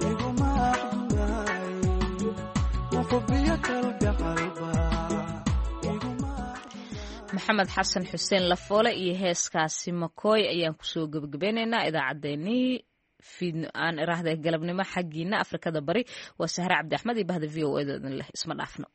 iguma aqdugaay, muqdiyo kalgacalba iguma. Maxamed Xasan Xuseen Lafoole iyo heeskaasi Makooy ayaan kusoo gebagabeynaynaa idaacaddeenii fiidno aan iraahda galabnimo xaggiina Afrikada Bari. Waa Sahre Cabdi Axmed iyo bahda VOA da idin leh isma dhaafno.